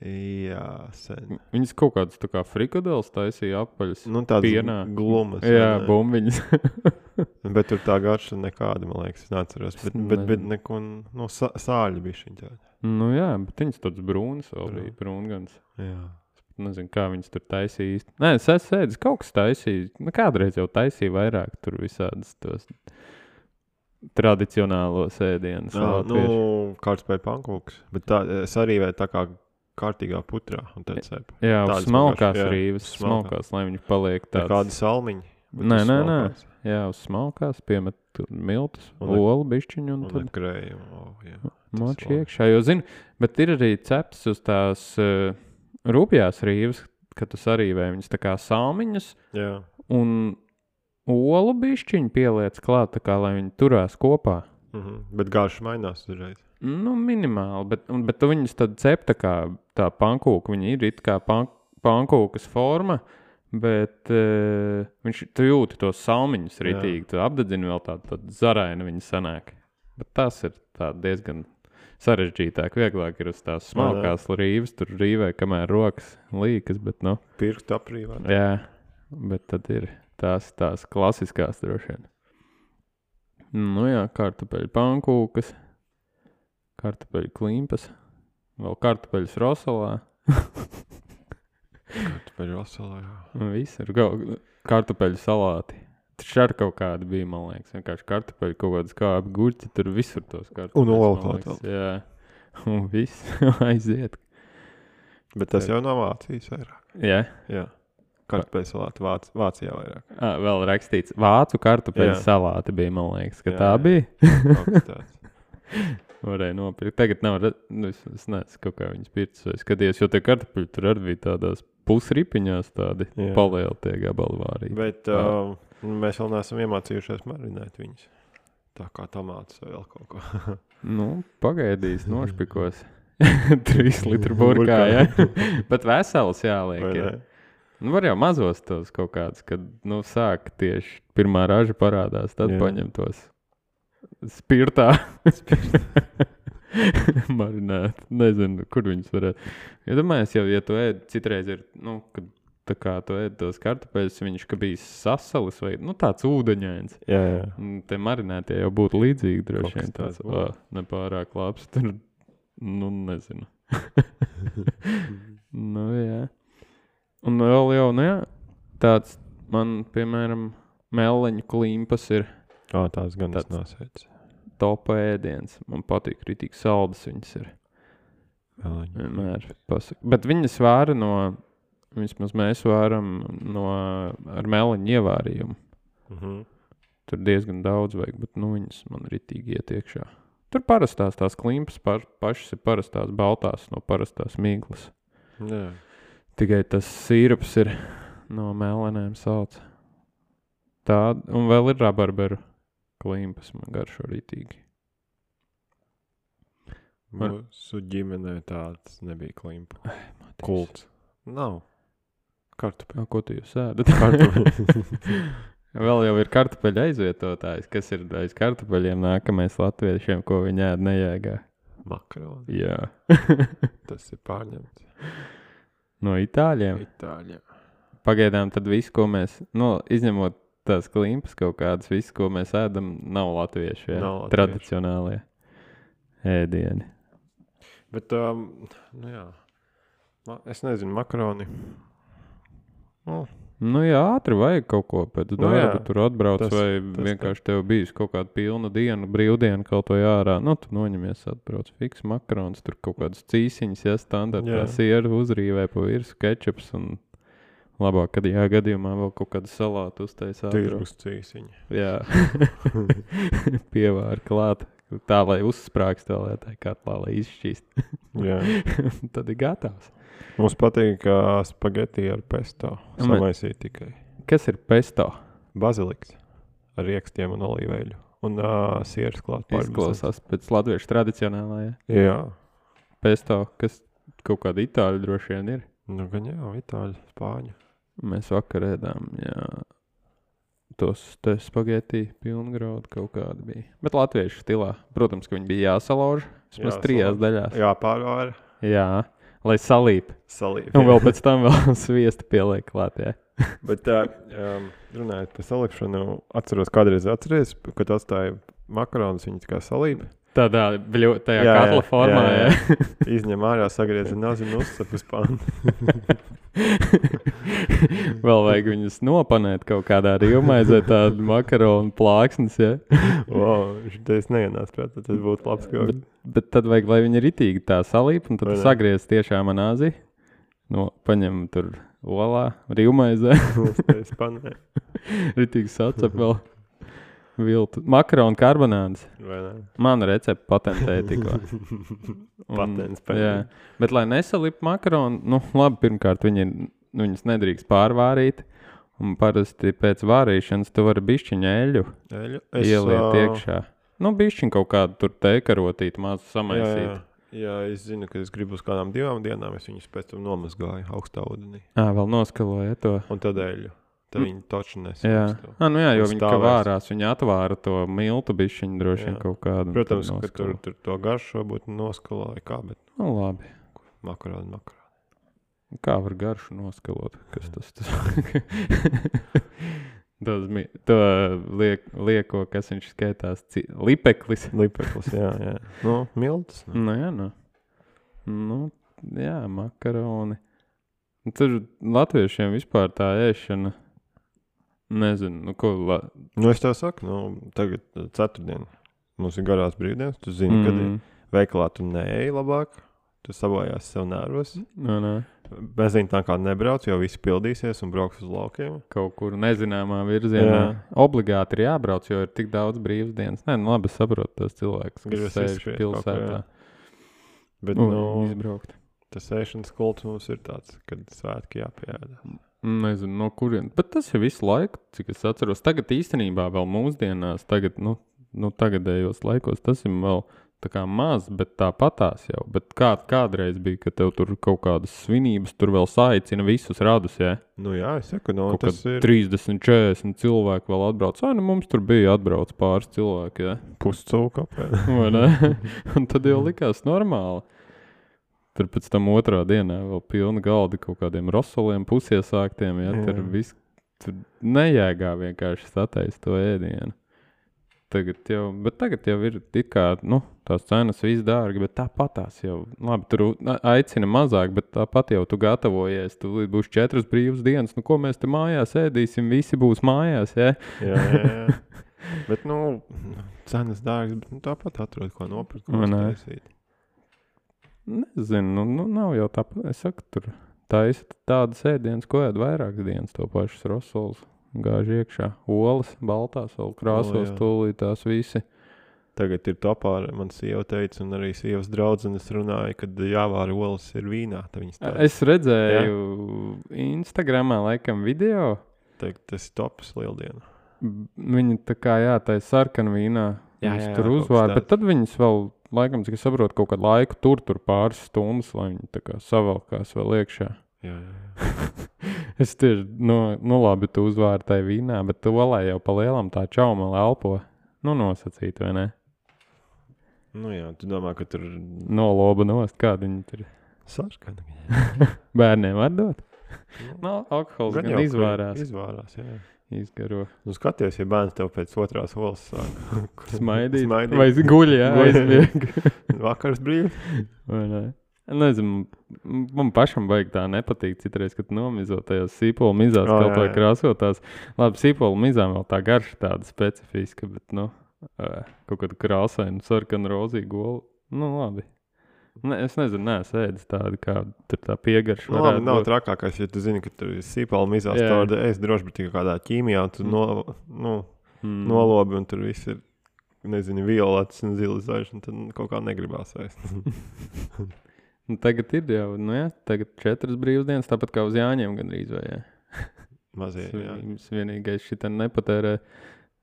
Speaker 2: Jā, sen.
Speaker 1: Viņas kaut kādas tā kā frikadeles taisīja apaļas.
Speaker 2: Nu, tādas
Speaker 1: Pienā.
Speaker 2: glumas.
Speaker 1: Jā,
Speaker 2: vai ne?
Speaker 1: bumbiņas.
Speaker 2: Bet tur tā garša nekāda, man liekas, es neatceros. Bet,
Speaker 1: Es
Speaker 2: bet, bet
Speaker 1: nezinu.
Speaker 2: neko, no sā- sāļu bija šī tāda.
Speaker 1: Nu jā, bet viņas tāds brūns vēl
Speaker 2: Brūn.
Speaker 1: bija. Brūngans.
Speaker 2: Jā.
Speaker 1: Nezinu, kā viņas tur taisīja īsti. Nē, es esmu ēdis kaut kas taisīja. Nu, kādreiz jau taisīja vairāk tur visādas tos tradicionālos ēdienus.
Speaker 2: Nā, nu, kāds pēc pankūks. Bet tā, es arī vai tā kā kārtīgā putrā un tad cep.
Speaker 1: Jā, uz
Speaker 2: Tādas
Speaker 1: smalkās
Speaker 2: vienkārši, jā,
Speaker 1: rīves,
Speaker 2: uz smalkās.
Speaker 1: smalkās, lai viņi paliek
Speaker 2: Tā
Speaker 1: tāds.
Speaker 2: kāda salmiņa. bet
Speaker 1: Nē,
Speaker 2: uz
Speaker 1: nē, nē.
Speaker 2: smalkās.
Speaker 1: Jā, uz smalkās piemet tur miltus,
Speaker 2: Un ar-
Speaker 1: olu bišķiņu un
Speaker 2: Un
Speaker 1: tad
Speaker 2: ar krējumu. Oh, jā.
Speaker 1: moči
Speaker 2: labi.
Speaker 1: iekšā. Jo zinu, bet ir arī cepts uz tās uh, rūpjās rīves, kad tu sarīvē viņas tā kā salmiņas
Speaker 2: Jā.
Speaker 1: un olu bišķiņu pieliec klāt, tā kā lai viņi turās kopā.
Speaker 2: Mhm. Bet garš mainās uzreiz.
Speaker 1: Nu, minimāli, bet, un- bet tu viņus tad cep tā kā tā pankūka. Viņi ir it kā pan, pankūkas forma, bet uh, viņš, tu jūti tos salmiņus
Speaker 2: Jā.
Speaker 1: ritīgi. Tu apdedzini vēl tādu, tādu zarainu viņi sanāk. Bet tas ir tā diezgan sarežģītāk. Vieglāk ir uz tās smalkās rīves, tur rīvē, kamēr rokas līkas, bet nu,
Speaker 2: Pirkstu aprīvāt.
Speaker 1: jā, bet tad ir tās, tās klasiskās droši vien. Nu jā, kartupeļu pankūkas, kartupeļu klimpas, vēl kartupeļus rosolā.
Speaker 2: Kartupeļu rosolā, jā.
Speaker 1: Un viss ir gau- kartupeļu salāti. Taču ar kaut kādu bija, man liekas, vienkārši kartupeļu kaut kādas kāpi guļķi, tur visur tos kartupeļus.
Speaker 2: Un olu
Speaker 1: man
Speaker 2: klāt
Speaker 1: liekas, Jā, un viss aiziet.
Speaker 2: Bet tas jau nav Vācijas vairāk.
Speaker 1: Jā,
Speaker 2: Jā. Kartupeļu salāti Vāc, Vācijā vairāk.
Speaker 1: à, vēl rakstīts, vācu kartupeļu
Speaker 2: Jā.
Speaker 1: salāti bija, man liekas, ka
Speaker 2: Jā,
Speaker 1: tā
Speaker 2: jā.
Speaker 1: bija.
Speaker 2: Kaut kas tāds.
Speaker 1: Varēja nopirkt. Tagad nav, re- nu, es, es nezinu, kaut kā viņas pircis vai skaties, jo tie kartupeļi tur arī bija tādās pusripiņās tādi
Speaker 2: Jā.
Speaker 1: palieli tie gabali vārīgi.
Speaker 2: Bet uh, mēs vēl neesam iemācījušies marinēt viņus. Tā kā tomātus vai vēl kaut ko.
Speaker 1: Nu, pagaidīs, nošpikos. Trīs litru burkā, jā. Bet vesels jāliek.
Speaker 2: Vai
Speaker 1: Ir.
Speaker 2: ne?
Speaker 1: Nu, var jau mazos tos kaut kādus, kad, nu, sāk tieši pirmā raža parādās, tad
Speaker 2: Jā.
Speaker 1: paņem tos spirtā. Marinēt. Nezinu, kur viņus varētu. Ja domājies, jau, ja tu ēd, citreiz ir, nu, kad tā kā tu ēd tos kartupeļus, viņš, ka bija sasalis vai, nu, tāds ūdeņains.
Speaker 2: Jā, jā.
Speaker 1: Un te marinētie jau būtu līdzīgi, droši
Speaker 2: Kaut kas
Speaker 1: vien tāds,
Speaker 2: tāds būtu.
Speaker 1: ā, nepārāk labs. Tur, nu, nezinu. Nu, jā. Un vēl jau, nu, jā, tāds man, piemēram, meleņu klimpas ir
Speaker 2: Ā, tās gan es
Speaker 1: Tāds-
Speaker 2: nesēdzu.
Speaker 1: topa ēdiens. Man patīk, ritīgi saldas viņas ir.
Speaker 2: Meleņu.
Speaker 1: Vienmēr pasaka. Bet viņas vāra no, vismaz mēs vāram no, ar meleņu ievārījumu.
Speaker 2: Mhm.
Speaker 1: Tur diezgan daudz vajag, bet nu viņas man ritīgi iet iekšā. Tur parastās tās klimpas par, pašas ir parastās baltās no parastās mīklas.
Speaker 2: Jā.
Speaker 1: Tikai tas sīrups ir no melenēm sauc. Tā, un vēl ir rabarberu klimpas, man garšo ritīgi. Var-
Speaker 2: Mūsu ģimenē tāds nebija klimpa. Kults. Nav. Kartupeļu.
Speaker 1: Kā, ko tu jūs ēdat? Vēl jau ir kartupeļu aizvietotājs, kas ir aiz kartupeļiem nākamais latviešiem, ko viņi ēd nejēgā.
Speaker 2: Makaroni.
Speaker 1: Jā.
Speaker 2: Tas ir pārņemts.
Speaker 1: No itāļiem.
Speaker 2: Itāļā.
Speaker 1: Pagaidām tad viss, ko mēs, nu, izņemot tās klimpas kaut kādas, viss, ko mēs ēdam, nav latviešu, jā.
Speaker 2: Nav latviešu.
Speaker 1: Tradicionālie ēdieni.
Speaker 2: Bet, um, nu jā. Ma, es nezinu, makaroni. Nu,
Speaker 1: Nu jā, ātri vajag kaut ko pēc
Speaker 2: Nu
Speaker 1: darba,
Speaker 2: jā,
Speaker 1: tur atbrauc
Speaker 2: tas-
Speaker 1: vai
Speaker 2: tas
Speaker 1: vienkārši tev bijis kaut kāda pilna diena, brīvdiena kaut vai ārā. Nu, tu noņemies, atbrauc fiks makarons, tur kaut kādas cīsiņas, ja standartā
Speaker 2: Jā.
Speaker 1: sieru uzrīvē pa virsu, kečups un labāk, kad jā gadījumā vēl kaut kādu salātu uztais ātro.
Speaker 2: tirgus cīsiņi.
Speaker 1: Jā, pievāri klāt, tā lai uzsprāgst vēl, tā katlā, lai izšķīst.
Speaker 2: Jā.
Speaker 1: Tad ir gatavs.
Speaker 2: Mums patīk uh, spageti ar pesto.
Speaker 1: Man-
Speaker 2: Samaisīt tikai.
Speaker 1: Kas ir pesto?
Speaker 2: Baziliks ar riekstiem un olīveļu. Un uh, sieras klāt pār.
Speaker 1: Izklausās pēc latviešu tradicionālajā.
Speaker 2: Jā.
Speaker 1: Pesto, kas kaut kāda itāļu droši vien ir.
Speaker 2: Nu, gan jā, itāļu, spāņu.
Speaker 1: Mēs vakar ēdām, jā, tos te spageti pilngraudu kaut kādi bija. Bet latviešu stilā. Protams, ka viņi bija jāsalauž. Vismaz
Speaker 2: Jāsalauž.
Speaker 1: trijās daļās.
Speaker 2: Jā, pārvāra.
Speaker 1: Jā, lai salīp.
Speaker 2: Salīp.
Speaker 1: Un vēl pēc tam vēl sviesta pieliek klāt, jā.
Speaker 2: Bet uh, um, runājot par salikšanu, atceros kādreiz atceries, kad atstāja makaronus, viņi tā kā salīp.
Speaker 1: Tādā bļo, tajā
Speaker 2: Jā, jā,
Speaker 1: katla formā,
Speaker 2: jā,
Speaker 1: jā.
Speaker 2: jā. Izņem ārā, sagriez, nezinu, uzsap uz pānu.
Speaker 1: Vēl vajag viņus nopanēt kaut kādā rīvmaizē, tādu makaronu plāksnes, ja?
Speaker 2: Wow, šitais neienāc prāt, tas būtu labs kaut.
Speaker 1: Bet, bet tad vajag, lai viņi ritīgi tā salīp, un tad tu sagriez tiešām manāzi, no, paņem tur olā, rīvmaizē.
Speaker 2: Uztais panē.
Speaker 1: Ritīgi sacep vēl viltu. Makaronu karbonādes.
Speaker 2: Vai ne?
Speaker 1: Mana recepte patentēja tikko.
Speaker 2: Patents
Speaker 1: jā,
Speaker 2: pēdējā.
Speaker 1: bet lai nesalip makaronu, nu labi, pirmkārt viņi, viņas nedrīkst pārvārīt, un parasti pēc vārīšanas tu vari bišķiņa eļu
Speaker 2: Eļu?
Speaker 1: ieliet
Speaker 2: ā,
Speaker 1: iekšā. Nu, bišķiņ kaut kādu tur teikarotīt, mazu
Speaker 2: Jā,
Speaker 1: samaisīt.
Speaker 2: jā. Jā, es zinu, ka es gribu uz kādām divām dienām, es viņus pēc tam nomazgāju augstā ūdenī.
Speaker 1: Ā, vēl noskaloja to.
Speaker 2: Un tad eļu. Tad
Speaker 1: Mm.
Speaker 2: viņi toči
Speaker 1: Jā,
Speaker 2: nesaukstu.
Speaker 1: ah, nu jā, jo
Speaker 2: Un
Speaker 1: viņi kā
Speaker 2: stāvēs.
Speaker 1: vārās, viņi atvāra to miltu bišķiņu droši vien
Speaker 2: Jā.
Speaker 1: kaut kādu. un
Speaker 2: Protams,
Speaker 1: tad
Speaker 2: ka tur,
Speaker 1: noskalo.
Speaker 2: tur to garšo būtu noskalāja kā, bet
Speaker 1: Nu, labi.
Speaker 2: makarādi, makarādi.
Speaker 1: Kā var garšu noskalot? Kas tas tas? Tos mi- to liek, lieko, kas viņš skaitās, ci- lipeklis.
Speaker 2: Lipeklis, jā, jā. Nu, miltas. Nu.
Speaker 1: Nu, jā, nu. Nu, jā, makaroni. Tur latviešiem vispār tā ēšana, nezinu, nu, ko, la...
Speaker 2: Nu, es tev saku, nu, tagad uh, ceturtdien. Mums ir garās brīvdienas, tu zini, mm. kad ir veikalā tu neej labāk, tu sabojās sev nervos.
Speaker 1: Nu, nē.
Speaker 2: Benzīna tā kā nebrauc, jo visi pildīsies un brauks uz laukiem.
Speaker 1: Kaut kur nezināmā virzienā.
Speaker 2: Jā.
Speaker 1: Obligāti ir jābrauc, jo ir tik daudz brīvas dienas. Nē, nu labi, es saprotu tos cilvēkus, kas
Speaker 2: Gribas
Speaker 1: sēž
Speaker 2: izskriet kaut ko,
Speaker 1: pilsētā.
Speaker 2: Bet,
Speaker 1: Un
Speaker 2: nu,
Speaker 1: izbraukt.
Speaker 2: tas ēšanas kults mums ir tāds, kad svētki jāpieēda.
Speaker 1: Nezinu, no kurien. Bet tas ir visu laiku, cik es atceros. Tagad īstenībā vēl mūsdienās, tagad, nu, nu tagadējos laikos, tas ir vēl tā kā maz, bet tāpatās jau. Bet kā, kādreiz bija, ka tev tur kaut kādas svinības, tur vēl saicina visus radus, jā?
Speaker 2: Nu jā, es saku, nu,
Speaker 1: Kaut
Speaker 2: tas
Speaker 1: kad
Speaker 2: ir
Speaker 1: trīsdesmit, četrdesmit cilvēki vēl atbrauc. Ai, nu mums tur bija atbrauc pāris cilvēki, jā?
Speaker 2: puscūka apēd.
Speaker 1: Vai ne? Un tad jau likās normāli. Tur pēc tam otrā dienā vēl pilna galda kaut kādiem rosoliem, pusiesāktiem, ja,
Speaker 2: Jā.
Speaker 1: tur viss, tur nejēgā vienkārši sataist to ēdienu. Tagad jau, bet tagad jau ir it kā, nu, tās cenas viss dārgi, bet tāpatās jau, labi, tur a- aicina mazāk, bet tāpat jau tu gatavojies, tu būs četras brīvas dienas, nu, ko mēs te mājās ēdīsim, visi būs mājās, ja?
Speaker 2: Jā, jā, jā. Bet, nu, cenas dārgas, bet nu, tāpat atrod, ko nopirkt, ko
Speaker 1: Vai ne?
Speaker 2: uztaisīt.
Speaker 1: Nezinu, nu, nu nav jau tāpat, es saku, tur taisa tādas ēdienas, ko ēd vairākas dienas, to pašas rosols, gāž iekšā, olas, baltās, vēl krāsos,
Speaker 2: jā.
Speaker 1: tūlītās visi.
Speaker 2: Tagad ir topā, man sieva teica, un arī sievas draudzenes runāja, kad jāvāra olas ir vīnā. Tad viņas tā,
Speaker 1: Es redzēju Instagramā laikam video,
Speaker 2: teikt, tas ir tops lieldiena.
Speaker 1: viņi tā kā, jā, tā ir sarkana vīnā,
Speaker 2: Jā,
Speaker 1: viņas
Speaker 2: jā,
Speaker 1: tur
Speaker 2: jā, kaut
Speaker 1: uzvāra,
Speaker 2: kas
Speaker 1: bet tad viņas vēl, laikam, cik es saprotu, kaut kādu laiku tur, tur pāris stundas, lai viņi tā kā savalkās vēl iekšā.
Speaker 2: Jā, jā, jā.
Speaker 1: Es tieši, nu, nu labi, tu uzvāri tai vīnā, bet tu olē jau pa lielam tā čaumala elpo, nu nosacīt, vai ne?
Speaker 2: Nu jā, tu domā, ka tur
Speaker 1: Noloba nost, kāda viņi tur
Speaker 2: sarkana.
Speaker 1: bērniem var dot?
Speaker 2: Nu,
Speaker 1: No, alkohols
Speaker 2: gan
Speaker 1: gan
Speaker 2: jau, ka
Speaker 1: izvārās,
Speaker 2: Izvārās, jā.
Speaker 1: izgaro,
Speaker 2: Nu skaties, ja bērns tev pēc otrās olas sāk
Speaker 1: smaidīt,
Speaker 2: Smaidīt.
Speaker 1: vai guļ, jā,
Speaker 2: Guļ.
Speaker 1: aizmieg.
Speaker 2: vakars brīvs.
Speaker 1: Vai ne? Nezinu, m- man pašam vajag tā nepatīk citreiz, kad nomizo tajās sīpolu mizās,
Speaker 2: O,
Speaker 1: kaut
Speaker 2: jā,
Speaker 1: vai
Speaker 2: jā.
Speaker 1: krāsotās. Labi, sīpolu mizām vēl tā garša tāda specifiska, bet, nu, ē, kaut kāda krāsaina, sarkana, rozīga gola. Nu, labi. Ne, es nezinu, neesmu ēdis tādu, kā tur tā piegarša
Speaker 2: Nu, labi,
Speaker 1: varētu
Speaker 2: nav
Speaker 1: būt.
Speaker 2: trakākais, ja tu zini, ka tur ir sīpala mizās,
Speaker 1: Jā.
Speaker 2: tāda es droši, bet tikai kādā ķīmijā, un tu
Speaker 1: Mm.
Speaker 2: no, nu,
Speaker 1: Mm.
Speaker 2: nolobi, un tur viss ir, nezinu, violets un zili zaļš, un tad kaut kā negribās ēst.
Speaker 1: Nu, tagad ir jau, nu jā, tagad četras brīvdienas, tāpat kā uz Jāņiem gandrīz vai, jā.
Speaker 2: Mazie, jā.
Speaker 1: Svinības vienīgais šitā nepatērē.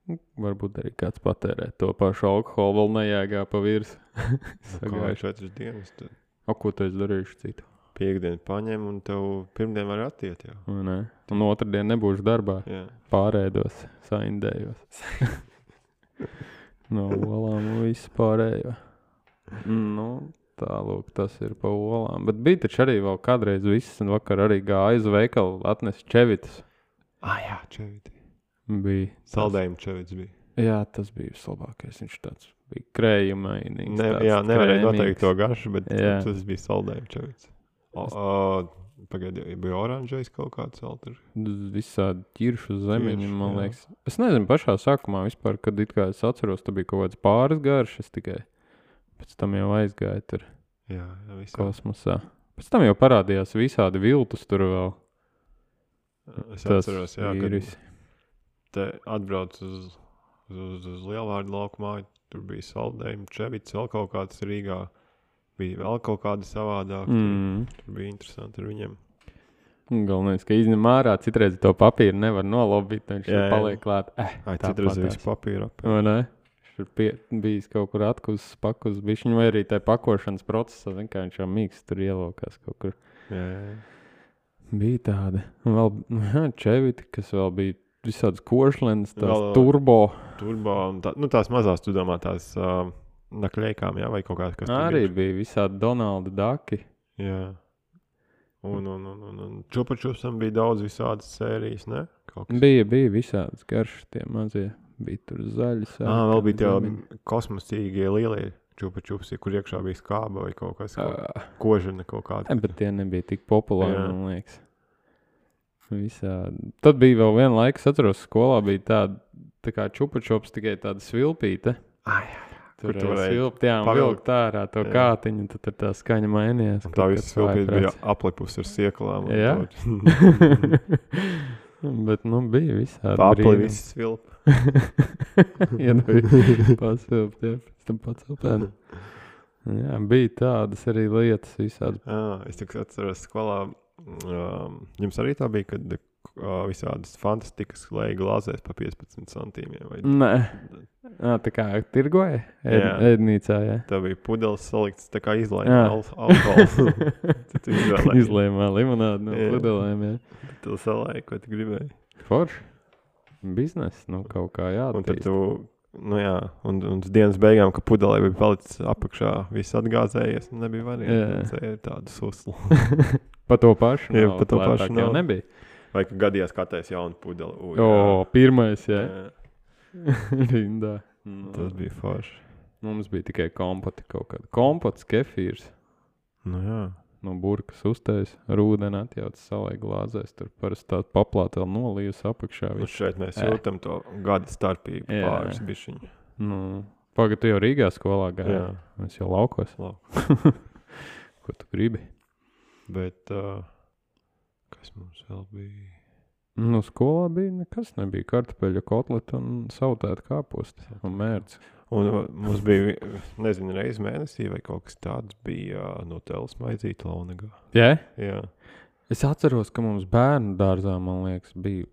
Speaker 1: Nu, Varbūt arī kāds patērē to pašu alkoholu, vēl nejēgā pa virs.
Speaker 2: Kā
Speaker 1: Sagājuši.
Speaker 2: četras dienas, tad
Speaker 1: O, ko tu esi darījuši citu?
Speaker 2: piekdien paņem, un tev pirmdien var attiet jau.
Speaker 1: Vai ne? Un otrdien nebūšu darbā.
Speaker 2: Jā.
Speaker 1: Pārēdos, saindējos. No olām un visu pārējo. Nu, tālūk, tas ir pa olām. Bet bija taču arī vēl kādreiz viss, un vakar arī gāja uz veikalu, atnesa čevitas.
Speaker 2: Ah, jā, čeviti.
Speaker 1: Bija.
Speaker 2: Saldējumi čevits bija.
Speaker 1: Jā, tas bija vislabākais. Viņš tāds bija krējumainīgs.
Speaker 2: Ne,
Speaker 1: tāds
Speaker 2: jā, nevarēja
Speaker 1: krēmīgs.
Speaker 2: noteikt to garšu, bet
Speaker 1: Jā.
Speaker 2: tas bija saldējumi čevits. O, o, Pagaidī, bija oranžais kaut kāds vēl tur.
Speaker 1: Visādi ķiršu zemeņi,
Speaker 2: Ķiršu,
Speaker 1: man
Speaker 2: jā.
Speaker 1: liekas. Es nezinu, pašā sākumā vispār, kad it kā es atceros, tā bija kaut kāds pāris garšas tikai. Pēc tam jau aizgāja tur
Speaker 2: Jā, jā, visā.
Speaker 1: kosmosā. Pēc tam jau parādījās visādi viltus tur vēl.
Speaker 2: Es
Speaker 1: Tas
Speaker 2: atceros, jā,
Speaker 1: vīris.
Speaker 2: kad te atbrauc uz, uz, uz, uz Lielvārdu laukumā, tur bija saldējumi, čevits, vēl kaut kāds Rīgā. Bija vēl kaut kāda savādāk.
Speaker 1: Mm.
Speaker 2: Tur, tur bija interesanti ar viņiem.
Speaker 1: Galvenais, ka izņem ārā, citreiz to papīru nevar nolobīt, viņš
Speaker 2: Jā, jā.
Speaker 1: paliek klāt. Eh,
Speaker 2: Ai,
Speaker 1: tāpat
Speaker 2: citreiz
Speaker 1: tās.
Speaker 2: visu papīru ap.
Speaker 1: Vai ne? Viņš ir pie, bijis kaut kur atkus, pakus, bišķiņ, vai arī tai pakošanas procesā, zin, kā viņš jau mīkst tur ielokās kaut kur.
Speaker 2: Jā, jā, jā.
Speaker 1: Bija tāda. Un vēl nu, jā, čeviti, kas vēl bija visādas košlenes, tās
Speaker 2: Vēl-
Speaker 1: turbo.
Speaker 2: Turbo un tā, nu tās mazās, tu domā, tās uh, nakļeikām, jā, vai kaut kāds, kas tur
Speaker 1: Arī
Speaker 2: bija.
Speaker 1: bija visādi Donaldi Daki.
Speaker 2: Jā. Un, un, un, un, un čupačupsam bija daudz visādas sērijas, ne? Kaut kas.
Speaker 1: Bija, bija visādas garšas tie mazie. Bija tur zaļi.
Speaker 2: Ā, vēl bija tie
Speaker 1: zemiņi.
Speaker 2: kosmosīgie lielie čupačupsi, kur iekšā bija skāba vai kaut kas, kaut,
Speaker 1: Ā,
Speaker 2: kožana kaut kāda.
Speaker 1: ne, bet tie nebija tik populāri,
Speaker 2: Jā.
Speaker 1: man liekas. Visādi. Tad bija vēl viena laika, es atceros, skolā bija tāda, tā kā čupačops, tikai tāda svilpīte.
Speaker 2: Ai,
Speaker 1: Tur
Speaker 2: Kur tu
Speaker 1: varēja
Speaker 2: varēji
Speaker 1: svilpt, jā, un
Speaker 2: pavilkt.
Speaker 1: vilkt ārā to
Speaker 2: Jā.
Speaker 1: kātiņu, un tad tur tā skaņa mainījās.
Speaker 2: un tā
Speaker 1: kaut
Speaker 2: visa
Speaker 1: kāds
Speaker 2: silpīte bija
Speaker 1: vājprāts.
Speaker 2: aplipus ar sieklām. un
Speaker 1: Jā?
Speaker 2: to-
Speaker 1: Bet, nu, bija visādi
Speaker 2: Apli
Speaker 1: brīnumi.
Speaker 2: viss svilp.
Speaker 1: Iedod pasvilpt, jā, pēc tam pacelt ēnu. Jā, bija tādas arī lietas visādi.
Speaker 2: Jā, es tikai atceros skolā. Um, jums arī tā bija, kad uh, visādas fantastikas lēja glāzēs pa piecpadsmit centīmiem. Vai
Speaker 1: Nē, à, tā kā tirgoja ēd,
Speaker 2: Jā.
Speaker 1: ēdnīcā, jā.
Speaker 2: tā bija pudeles salikts, tā kā
Speaker 1: Jā.
Speaker 2: izlaiņa al- alkohols. Tad tu izvēlēji.
Speaker 1: Izlēmā limonādi no
Speaker 2: Jā.
Speaker 1: pudelēm, jā.
Speaker 2: Tu salēji, ko tu gribēji.
Speaker 1: Forši. Biznes, nu, kaut kā
Speaker 2: Un tad
Speaker 1: jāattīst.
Speaker 2: tu, nu jā, un, un uz dienas beigām, ka pudelē bija palicis apakšā, viss atgāzējies, un nebija variants. Tā ir tāda susla.
Speaker 1: Pa to pašu
Speaker 2: Jā,
Speaker 1: naudu
Speaker 2: pa to
Speaker 1: lētāk
Speaker 2: pašu
Speaker 1: jau
Speaker 2: naudu.
Speaker 1: nebija.
Speaker 2: Vai ka gadījās katrs jaunu pudeli. U,
Speaker 1: O, pirmais, jā.
Speaker 2: jā.
Speaker 1: Rindā. Nu,
Speaker 2: Tas bija forši.
Speaker 1: Mums bija tikai kompoti kaut kāda. Kompots, kefīrs.
Speaker 2: Nu jā.
Speaker 1: No burkas uztais, rūdeni atjauts salai glāzēs. Tur parasti tāda paplāta vēl nolījusi apakšā.
Speaker 2: Un
Speaker 1: viss.
Speaker 2: šeit mēs
Speaker 1: Ē.
Speaker 2: jūtam to gada starpību
Speaker 1: Jā.
Speaker 2: pāris bišķiņu.
Speaker 1: Nu, pagad, tu jau Rīgā skolā gāji.
Speaker 2: Jā.
Speaker 1: Mēs jau laukos.
Speaker 2: Labi.
Speaker 1: Ko tu gribi?
Speaker 2: Bet, uh, kas mums vēl bija?
Speaker 1: Nu, skolā bija nekas, nebija kartupeļu kotleta un sautēta kāposti un mērci.
Speaker 2: Un uh, mums bija, nezinu, reiz mēnesī vai kaut kas tāds bija uh, no teles maizīt Launagā.
Speaker 1: Jā?
Speaker 2: Jā.
Speaker 1: Es atceros, ka mums bērnu dārzā, man liekas, bija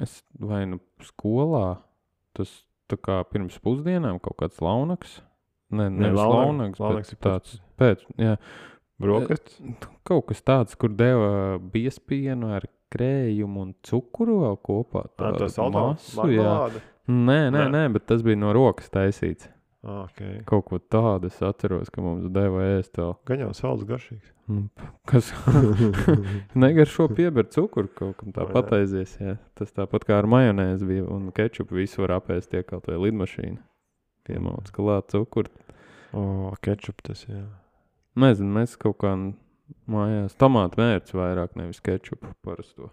Speaker 1: es vai nu skolā, tas tā kā pirms pusdienām kaut kāds launaks. Ne,
Speaker 2: Ne,
Speaker 1: nevis
Speaker 2: launag-
Speaker 1: launaks,
Speaker 2: launaks
Speaker 1: bet
Speaker 2: ir pēc-
Speaker 1: tāds pēc, jā,
Speaker 2: Brokastis?
Speaker 1: kaut kas tāds, kur deva biespienu ar krējumu un cukuru vēl kopā.
Speaker 2: Tā,
Speaker 1: tādu
Speaker 2: tas saldā?
Speaker 1: masu, jā.
Speaker 2: Marmelāde?
Speaker 1: Nē, nē,
Speaker 2: Nē.
Speaker 1: nē, bet tas bija no rokas taisīts.
Speaker 2: Ah, ok.
Speaker 1: Kaut ko tādu es atceros, ka mums deva ēst vēl.
Speaker 2: Gan jau salds garšīgs.
Speaker 1: Nu, kas negaršo pieber cukuru, kaut kam tā
Speaker 2: O, jā.
Speaker 1: pataizies, jā. Tas tāpat kā ar majonēzi bija, un kečupu visu var apēst tie kaut vai lidmašīna. Piemauc klāt cukuru.
Speaker 2: O, kečup tas, jā.
Speaker 1: Nezinu, mēs kaut kā mājās tomātu mērci vairāk, nevis kečupu parasto.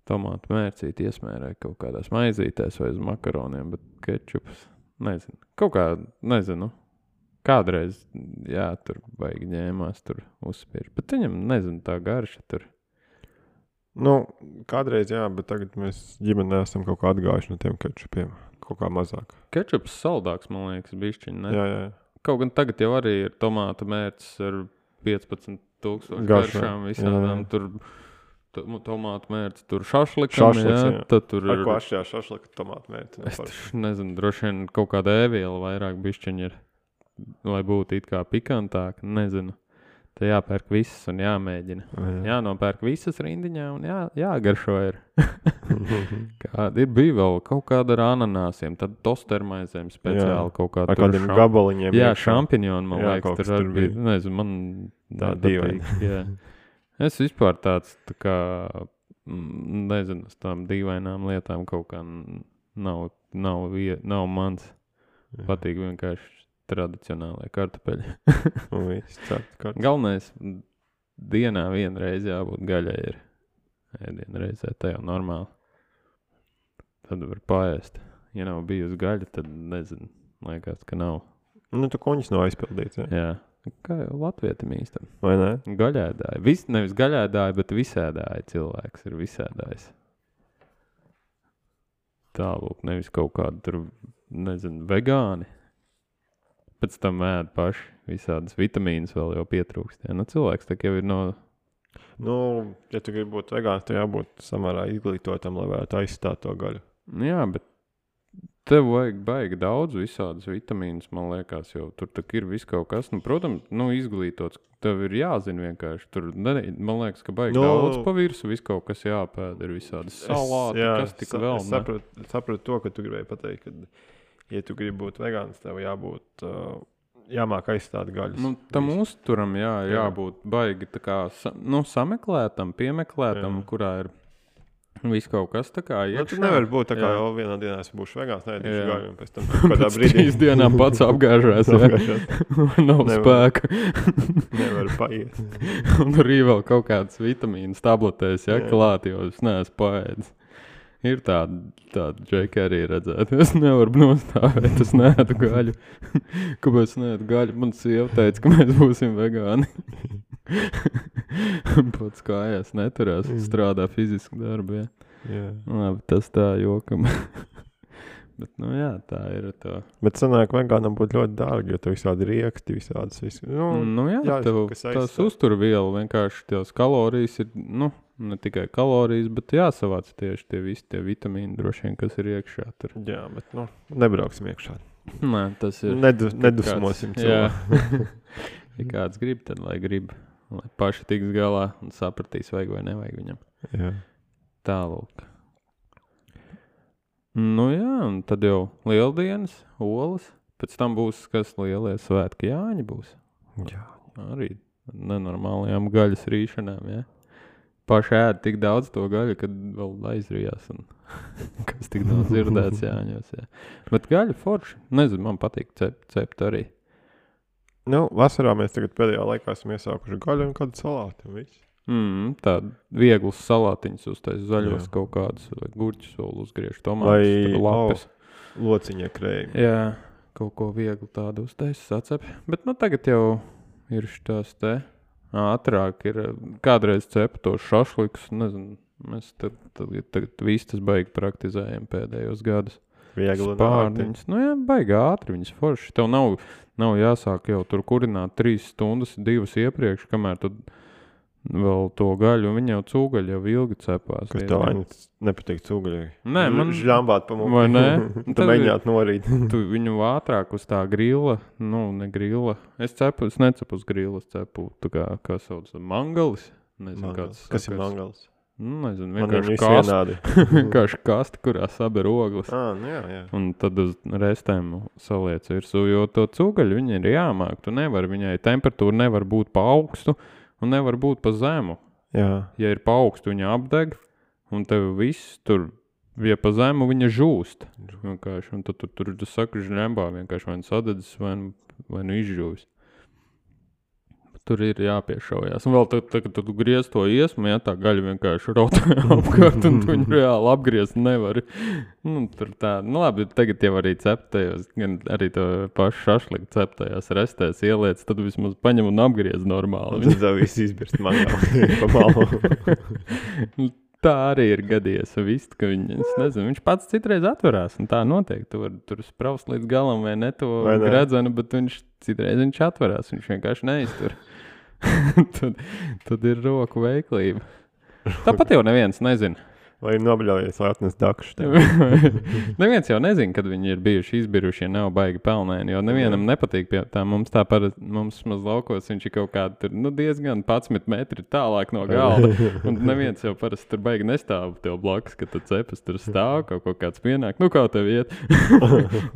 Speaker 1: Tomātu mērcīt iesmērēja kaut kādās maizītēs vai uz makaroniem, bet kečups, nezinu. Kaut kā, nezinu, kādreiz, jā, tur baigi ņēmās, tur uzspiež. Bet viņam, nezinu, tā garša tur.
Speaker 2: Nu, kādreiz jā, bet tagad mēs ģimenē esam kaut kā atgājuši no tiem kečupiem. Kaut kā mazāk.
Speaker 1: Kečups saldāks, man liekas, bišķiņ, ne?
Speaker 2: Jā, jā.
Speaker 1: Kaut gan tagad jau arī ir tomātu mērcis ar piecpadsmit tūkstoši
Speaker 2: Garšām,
Speaker 1: garšām visādām.
Speaker 2: jā.
Speaker 1: Tur to- tomātu mērcis, tur šašlikam,
Speaker 2: Šašliks,
Speaker 1: jā,
Speaker 2: jā.
Speaker 1: tad tur
Speaker 2: Ar
Speaker 1: ir,
Speaker 2: ko atšķirās šašlika tomātu mērķi?
Speaker 1: es tur nezinu, droši vien kaut kāda ēviela vairāk bišķiņ ir, lai būtu it kā pikantāk, nezinu. Te jāpērk visas un jāmēģina. Jānopērk visas rindiņā un jā, jāgaršo ir. Kāda ir bija vēl kaut kāda ar ananāsiem, tad tostermaizēm speciāli
Speaker 2: Jā.
Speaker 1: kaut kā
Speaker 2: Ar
Speaker 1: tur
Speaker 2: kādiem
Speaker 1: šam-
Speaker 2: gabaliņiem.
Speaker 1: Jā,
Speaker 2: iekšā.
Speaker 1: šampiņoni, man
Speaker 2: Jā,
Speaker 1: liekas,
Speaker 2: kaut
Speaker 1: tur
Speaker 2: kas
Speaker 1: arī
Speaker 2: tur
Speaker 1: bija.
Speaker 2: bija.
Speaker 1: Nezinu, man
Speaker 2: Tā
Speaker 1: nepatīk, jā. Es vispār tāds, tā kā, mm, nezinu, uz tām dīvainām lietām kaut kā n- nav, nav, vie- nav mans.
Speaker 2: Jā.
Speaker 1: Patīk vienkārši tradicionālai kartupeļi.
Speaker 2: Un viss cept kartu.
Speaker 1: Galvenais, mm, dienā vienreiz jābūt gaļai ir. Ēdienu reizē, tā jau normāli. Tad var paēst. Ja nav bijusi gaļa, tad nezinu, liekas, ka nav.
Speaker 2: Nu, tu kuņas nav aizpildīts, ja?
Speaker 1: Jā. Kā jau latvietim īstam.
Speaker 2: Vai ne?
Speaker 1: Gaļēdāji. Vis, nevis gaļēdāji, bet visēdāji cilvēks ir visēdājs. Tālūk, nevis kaut kādu tur, nezinu, vegāni. Pēc tam ēd paši visādas vitamīnas vēl jau pietrūkst. Ja? Nu, cilvēks tā jau ir no...
Speaker 2: Nu, ja tu gribi būt vegāns, tad jābūt samērā izglītotam, lai varētu aizstāt to gaļu.
Speaker 1: Jā, bet tev vajag baigi daudz visādas vitamīnas, man liekas, jau tur tak ir viss kaut kas. Nu, protams, nu, izglītots, tev ir jāzina vienkārši. Tur, ne, man liekas, ka baigi
Speaker 2: Nu,
Speaker 1: daudz pa virsu, viss kaut kas jāpēd, ir visādas salāti,
Speaker 2: jā,
Speaker 1: kas tik
Speaker 2: sa-
Speaker 1: vēl.
Speaker 2: Es saprotu, saprotu to, ka tu gribēji pateikt, ka, ja tu gribi būt vegāns, tev jābūt, uh, jāmāk aizstāt gaļas.
Speaker 1: Nu, tam uzturam, jā, ir
Speaker 2: Jā.
Speaker 1: jābūt baigi tā kā, sa, nu, sameklētam, piemeklētam,
Speaker 2: Jā.
Speaker 1: kurā ir viss kaut kas tā kā
Speaker 2: Nu,
Speaker 1: iekšā.
Speaker 2: tu nevari būt tā kā
Speaker 1: Jā.
Speaker 2: jau vienā dienā es būšu vegāns, neēdīšu
Speaker 1: Jā.
Speaker 2: gaļu, un pēc tam kādā
Speaker 1: Pēc
Speaker 2: brīdī
Speaker 1: trīs dienām pats apgāžās, jā. Nav
Speaker 2: Nevar.
Speaker 1: spēka.
Speaker 2: nevar paiet.
Speaker 1: Un arī vēl kaut kādas vitamīnas tabletēs, ja,
Speaker 2: Jā.
Speaker 1: klāt, jo es neesmu paēdis. Ir tāda, tāda džeka arī redzēt. Es nevaru nostāvēt, es neēdu gaļu. Kāpēc neēdu gaļu? Man sieva teica, ka mēs būsim vegāni. Pats kājās neturās,
Speaker 2: Mm.
Speaker 1: strādā fizisku darbu, jā.
Speaker 2: Jā.
Speaker 1: Labi, tas tā jokam. Bet, nu jā, tā ir tā.
Speaker 2: Bet sanāk, vegānam būtu ļoti dārgi, jo tu visādi rieksti, visādas visu. Nu,
Speaker 1: Nu jā,
Speaker 2: jā,
Speaker 1: tev
Speaker 2: kas
Speaker 1: tās
Speaker 2: aizstāv.
Speaker 1: uzturviela vienkārši tās kalorijas ir, nu, ne tikai kalorijas, bet jāsavāc tieši tie visi tie vitamīni droši vien, kas ir iekšā tur.
Speaker 2: jā, bet, nu, nebrauksim iekšā.
Speaker 1: Nē, tas ir.
Speaker 2: Nedu,
Speaker 1: kad
Speaker 2: nedusmosim
Speaker 1: kāds- jā.
Speaker 2: cilvēku.
Speaker 1: Ja kāds grib, tad lai grib, lai paši tiks galā un sapratīs, vajag vai nevajag viņam.
Speaker 2: Jā.
Speaker 1: Tālūk. Nu jā, un tad jau lieldienas, olas, pēc tam būs, kas lielie svētki, Jāņi būs.
Speaker 2: Jā.
Speaker 1: Arī nenormālajām gaļas rīšanām, jā. Paši ēd tik daudz to gaļu, kad vēl aizrījās un kas tik daudz dzirdēts Jāņos, jā. Bet gaļa forši, nezinu, man patīk cept, cept arī.
Speaker 2: Nu, vasarā mēs tagad pēdējā laikā esam iesākuši gaļu un kādu salātu un viss.
Speaker 1: Mm, tādu vieglus salātiņus uztais zaļos
Speaker 2: Jā.
Speaker 1: kaut kādus, vai gurķus vēl uzgriež
Speaker 2: Vai,
Speaker 1: tomātus, lapes.
Speaker 2: Lociņa krējumi.
Speaker 1: Jā, kaut ko viegli tādu uztais, sacep. Bet nu tagad jau ir šitās te ātrāk ir, kādreiz cepa to šašliks, nezinu, mēs tad, tad, tagad viss tas baigi praktizējam pēdējos gadus.
Speaker 2: Viegli un ātri.
Speaker 1: Spārniņas, nu jā, baigi ātri viņas forši. Tev nav, nav jāsāk jau tur kurināt trīs stundas, divas iepriekš, kamēr tu vēl to gaļu, un viņa jau cūgaļu jau ilgi cepās.
Speaker 2: Kas
Speaker 1: diezgan.
Speaker 2: tev ainas nepatīk cūgaļai?
Speaker 1: Nē, man-
Speaker 2: Žļambāt pa muki.
Speaker 1: Vai ne?
Speaker 2: Tu
Speaker 1: Tad ir-
Speaker 2: mēģināt norīt.
Speaker 1: Tu viņu ātrāk uz tā grila, nu, ne grila. Es cepu, es necepu uz grila, es cepu, tā kā, kā sauc, mangalis. Nezinu,
Speaker 2: Mangals.
Speaker 1: kāds.
Speaker 2: Kas ir
Speaker 1: kāds-
Speaker 2: mangals?
Speaker 1: Nu, nezinu,
Speaker 2: Man ir
Speaker 1: vienkārši
Speaker 2: visi
Speaker 1: kasti,
Speaker 2: vienādi.
Speaker 1: vienkārši kasti, kurā saber ogles.
Speaker 2: Ā, nu jā, jā.
Speaker 1: Un tad uz restēm saliec virsū, jo to cūgaļu viņai ir jāmāk. Tu nevari, viņai temperatūra nevar būt pa augstu un nevar būt pa zemu.
Speaker 2: Jā.
Speaker 1: Ja ir pa augstu, viņa apdeg, un tev viss tur, ja pa zemu, viņa žūst. Vienkārši, un tad tu tur, tu saki, žņembā vienkārši vai nu sadedzis, vai nu, vai nu izžūvis. Tur ir jāpiešaujās. Un vēl tad, tad, kad tu griez to iesmu, ja tā gaļa vienkārši rotā apkārt, un tu viņu reāli apgriezt nevari. Nu, tur tā, nu labi, tagad jau arī ceptajos, gan arī to pašu šašliku ceptajās restēs ieliec, tad vismaz paņem un apgriez normāli.
Speaker 2: Tad tev viss izbirst mangāli pa malu.
Speaker 1: Tā arī ir gadījies, viss, ka viņi, es nezinu, viņš pats citreiz atverās, un tā noteikti, tu vari tur spraust līdz galam vai ne to
Speaker 2: Vai ne?
Speaker 1: gredzenu, bet viņš citreiz viņš atverās, viņš vienkārši neiztur. tad, tad ir roku veiklība. Tāpat jau neviens nezina.
Speaker 2: Vai ir nobļaujies, lai atnes dakšu tev?
Speaker 1: Neviens jau nezina, kad viņi ir bijuši izbiruši, ja nav baigi pelnēni, jo nevienam nepatīk pie tā. Mums tā parasti, mums maz laukos, viņš ir kaut kādi tur, nu, diezgan padsmit metri tālāk no galda. Un neviens jau parasti tur baigi nestāv tev blakus, kad tu cepas tur stāv, kaut ko kāds pienāk. Nu, kā tev iet?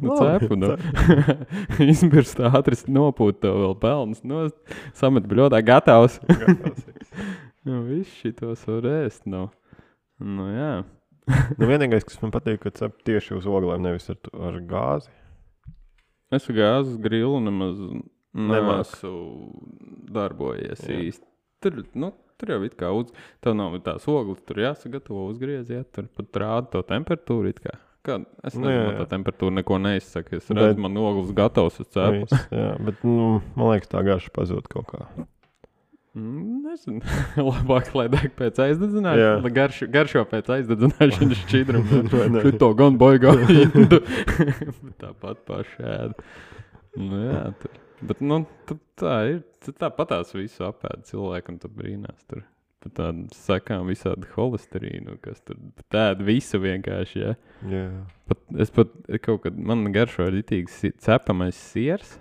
Speaker 1: Nu, cepu, nu. Izbirst ātri, nopūt tev vēl pelnas, no, samet bļodā, gatavs. Nu, viss šitos var ēst, nu. Nu, jā.
Speaker 2: Nu, vienīgais, kas man patīk, ka cep tieši uz oglēm, nevis ar, ar gāzi.
Speaker 1: Es gāzes grilu nemaz
Speaker 2: Nemāk.
Speaker 1: neesmu darbojies
Speaker 2: Jā.
Speaker 1: īsti. tur, nu, tur jau it kā uz... Tev nav tās ogles, tur jāsagatavo uzgriez, jā, tur pat rāda to temperatūru it kā. Kā, es nezinu, no tā temperatūra neko neizsaka. Es redzu, bet... man ogles gatavs uz cēpus.
Speaker 2: Jā, bet, nu, man liekas, tā garša pazūd kaut kā.
Speaker 1: Mm, nezinu. Labāk, lai deg pēc aizdedzināšanas. Lai garšo, garšo pēc aizdedzināšanas šķidrumu. Šito gan baigā indu. Tāpat paši ēda. Nu jā, tur. Bet, nu, tā ir. Tā patās visu apēda cilvēku un tu brīnās tur. Pat tādu sakām visādi holesterīnu, kas tur tāda visu vienkārši, jā.
Speaker 2: Jā.
Speaker 1: Pat, es pat kaut kad, man garšo ritīgi cepamais siers.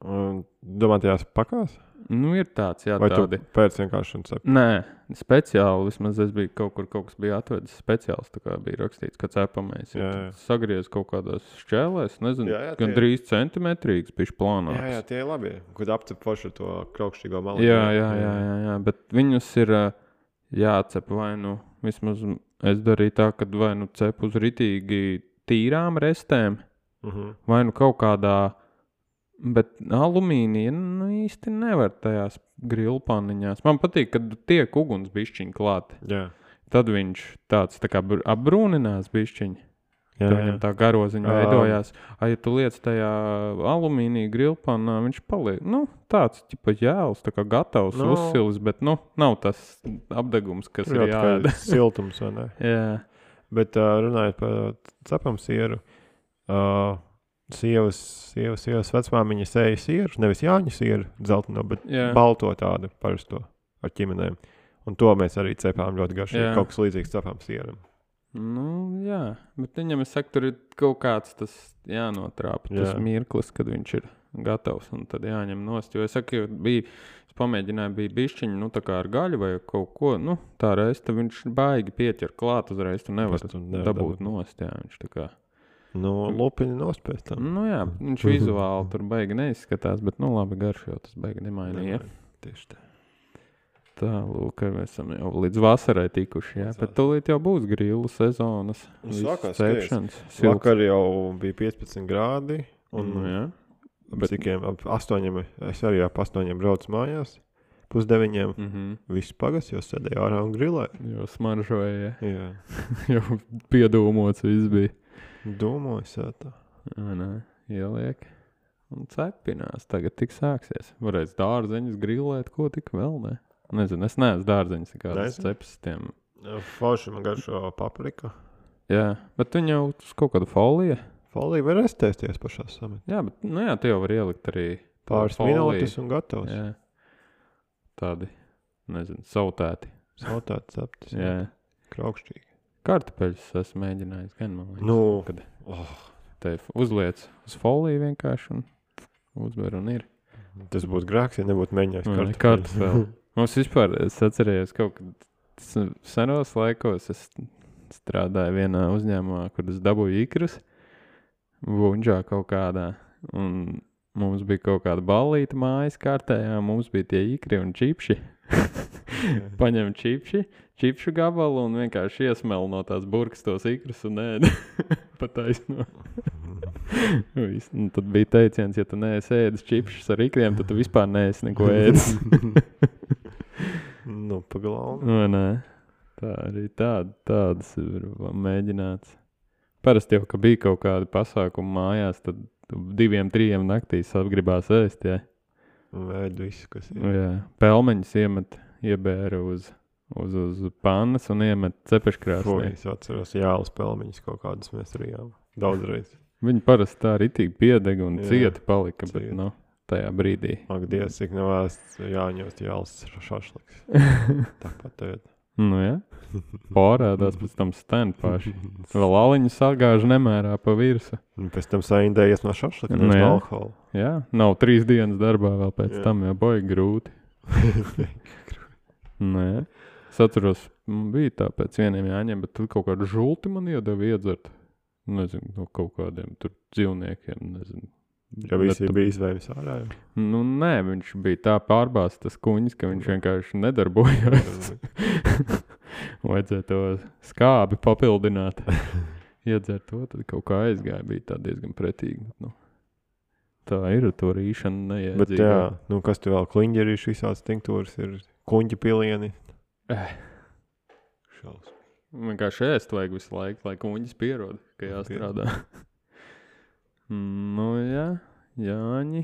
Speaker 2: Un domā, tajās pakās?
Speaker 1: Nu, ir tāds, jā,
Speaker 2: vai
Speaker 1: tādi.
Speaker 2: Vai tu pēc vienkārši un cep?
Speaker 1: Nē, speciāli, vismaz es biju kaut kur, kaut kas bija atvedis speciāls, tā kā bija rakstīts, ka cepamais. Jā, jā. Sagriez kaut kādās šķēlēs, nezinu, jā, jā, gan drīz centimetrīgs, bišķi plānāks.
Speaker 2: Jā, jā, tie ir labi, kad apcep forši to kraukšķīgo malu.
Speaker 1: Jā, jā, jā, jā, jā, bet viņus ir jācep vai nu, vismaz es darīju tā, kad vai nu cep uz ritīgi tīrām restēm, uh-huh. vai nu kaut kādā. Bet alumīnija nu, īsti nevar tajās grilpaniņās. Man patīk, kad tiek uguns bišķiņ klāt.
Speaker 2: Jā. Tad
Speaker 1: viņš tāds tā kā apbrūninās bišķiņ. Jā, tad viņam tā garoziņa um. veidojās. A, ja tu liec tajā alumīnija grilpanā, viņš paliek, nu, tāds, ķipa jēls, tā kā gatavs no. uzsilis, bet, nu, nav tas apdegums, kas
Speaker 2: Tur
Speaker 1: ir jāēda.
Speaker 2: Siltums, vai ne?
Speaker 1: Jā.
Speaker 2: Bet uh, runājot par cepam sieru, uh, Sievas, sievas, sievas vecmāmiņa sēja sieru, nevis Jāņa sieru dzelteno, bet jā. Balto tādu parasto ar ķimenēm. Un to mēs arī cepām ļoti garšīgi, kaut kas līdzīgs cepām sieram.
Speaker 1: Nu, jā, bet viņam, es saku, tur ir kaut kāds tas jānotrāpa, jā. Tas mirklis, kad viņš ir gatavs, un tad jāņem nost. Jo es saku, bija, es pamēģināju, bija bišķiņi, nu, tā kā ar gaļu vai kaut ko, nu, tā reiz, tad viņš baigi pieķer klāt uzreiz, tu nevar dabūt, dabūt nost, jā, viņš tā kā.
Speaker 2: Nu, lupiņi nost pēc tam.
Speaker 1: Nu jā, viņš vizuāli tur baigi neizskatās, bet nu labi garš jau tas baigi nemainīja.
Speaker 2: Tieši tā.
Speaker 1: Tā, lūk, mēs esam jau līdz vasarai tikuši, jā, bet tūlīt jau būs grilu sezonas.
Speaker 2: Sākās, cepšanas. Vakar jau bija piecpadsmit grādi, un
Speaker 1: nu, jā.
Speaker 2: Bet... cikiem, ap astoņiem, es arī ap astoņiem braucu mājās, pusdeviņiem,
Speaker 1: mm-hmm.
Speaker 2: viss pagas, jo sēdēju ārā un grilēju.
Speaker 1: Jo smaržoja,
Speaker 2: jā.
Speaker 1: Jau piedūmots viss bija.
Speaker 2: Domāju, tā.
Speaker 1: Jā, nē, ieliek un cepinās. Tagad tik sāksies. Varēs dārzeņus grillēt, ko tik vēl, ne? Nezinu, es neesmu dārzeņus kādas cepas tiem.
Speaker 2: Forši man garšo paprika.
Speaker 1: Jā, bet viņi jau uz kaut kādu foliju.
Speaker 2: Foliju var restēsties pašā samet.
Speaker 1: Jā, bet, nu jā, te jau var ielikt arī
Speaker 2: pāris minūtes un gatavs.
Speaker 1: Jā. Tādi, nezinu, sautēti.
Speaker 2: Sautēti ceptis.
Speaker 1: Jā.
Speaker 2: Kraukšķīgi.
Speaker 1: Kartupeļus esmu mēģinājis gan, man liekas.
Speaker 2: Nu,
Speaker 1: kad
Speaker 2: oh.
Speaker 1: te uzliec uz foliju vienkārši un uzver un ir.
Speaker 2: Tas būtu grāks, ja nebūtu mēģinājis kartupeļus.
Speaker 1: Kartupeļus. Mums vispār, es atcerējos kaut kad senos laikos, es strādāju vienā uzņēmumā, kur es dabūju ikrus, Vunžā kaut kādā, un mums bija kaut kāda ballīta mājas kārtējā, mums bija tie ikri un čipši. Paņem čipši, čipšu gabalu un vienkārši iesmel no tās burkas tos ikrus un ēd. Pataisno. Un tad bija teiciens, ja tu neesi ēdis čipšus ar ikriem, tad tu vispār neesi neko ēdis.
Speaker 2: Nu, pagalau.
Speaker 1: Vai nē? Tā arī tāda, tādas ir mēģināts. Parasti jau, ka bija kaut kādi pasākumi mājās, tad diviem, trījiem naktīs atgribās ēst, jā.
Speaker 2: Vēd visu, kas ir.
Speaker 1: Jā, pelmeņus iemet, iebēra uz, uz, uz pannas un iemet cepeškrāsnī.
Speaker 2: Fui, es atceros jālas pelmeņus kaut kādas mēs rījām. Daudzreiz.
Speaker 1: Viņi parasti tā ritīgi piedega un
Speaker 2: jā,
Speaker 1: cieti palika,
Speaker 2: cieti.
Speaker 1: Bet, nu, tajā brīdī.
Speaker 2: Ak, Dievs, cik nevēsts jāņost jālas šašliks. Tāpat tagad.
Speaker 1: Nu, jā. Pārādās pēc tam sten paši. Vēl aliņu sagāžu nemērā pa virsu.
Speaker 2: Un pēc tam saindējies no šašlika, no
Speaker 1: nu,
Speaker 2: alkohola.
Speaker 1: Jā, nav trīs dienas darbā vēl pēc
Speaker 2: jā.
Speaker 1: Tam, jau boja grūti. Nu, jā. Es atceros, bija tā pēc vieniem jāņem, bet tur kaut kādu žulti man iedeva iedzert. Nezinu, no kaut kādiem tur dzīvniekiem, nezinu.
Speaker 2: Ja visi bet, bija izvēmis ārā?
Speaker 1: Nu, nē, viņš bija tā pārbāsts tas kuņis, ka viņš vienkārši nedarbojās. Vajadzēja to skābi papildināt. Iedzert to, tad kaut kā aizgāja, bija tā diezgan pretīgi. Nu, tā ir to rīšana neiedzīgā.
Speaker 2: Bet jā, nu kas te vēl kliņģerīši visāds tinktūras ir kuņģa pilieni.
Speaker 1: Eh.
Speaker 2: Šausmīgi.
Speaker 1: Vienkārši ēst vajag visu laiku, lai kuņģis pierod, ka jāstrādā. Nu jā, Jāņi.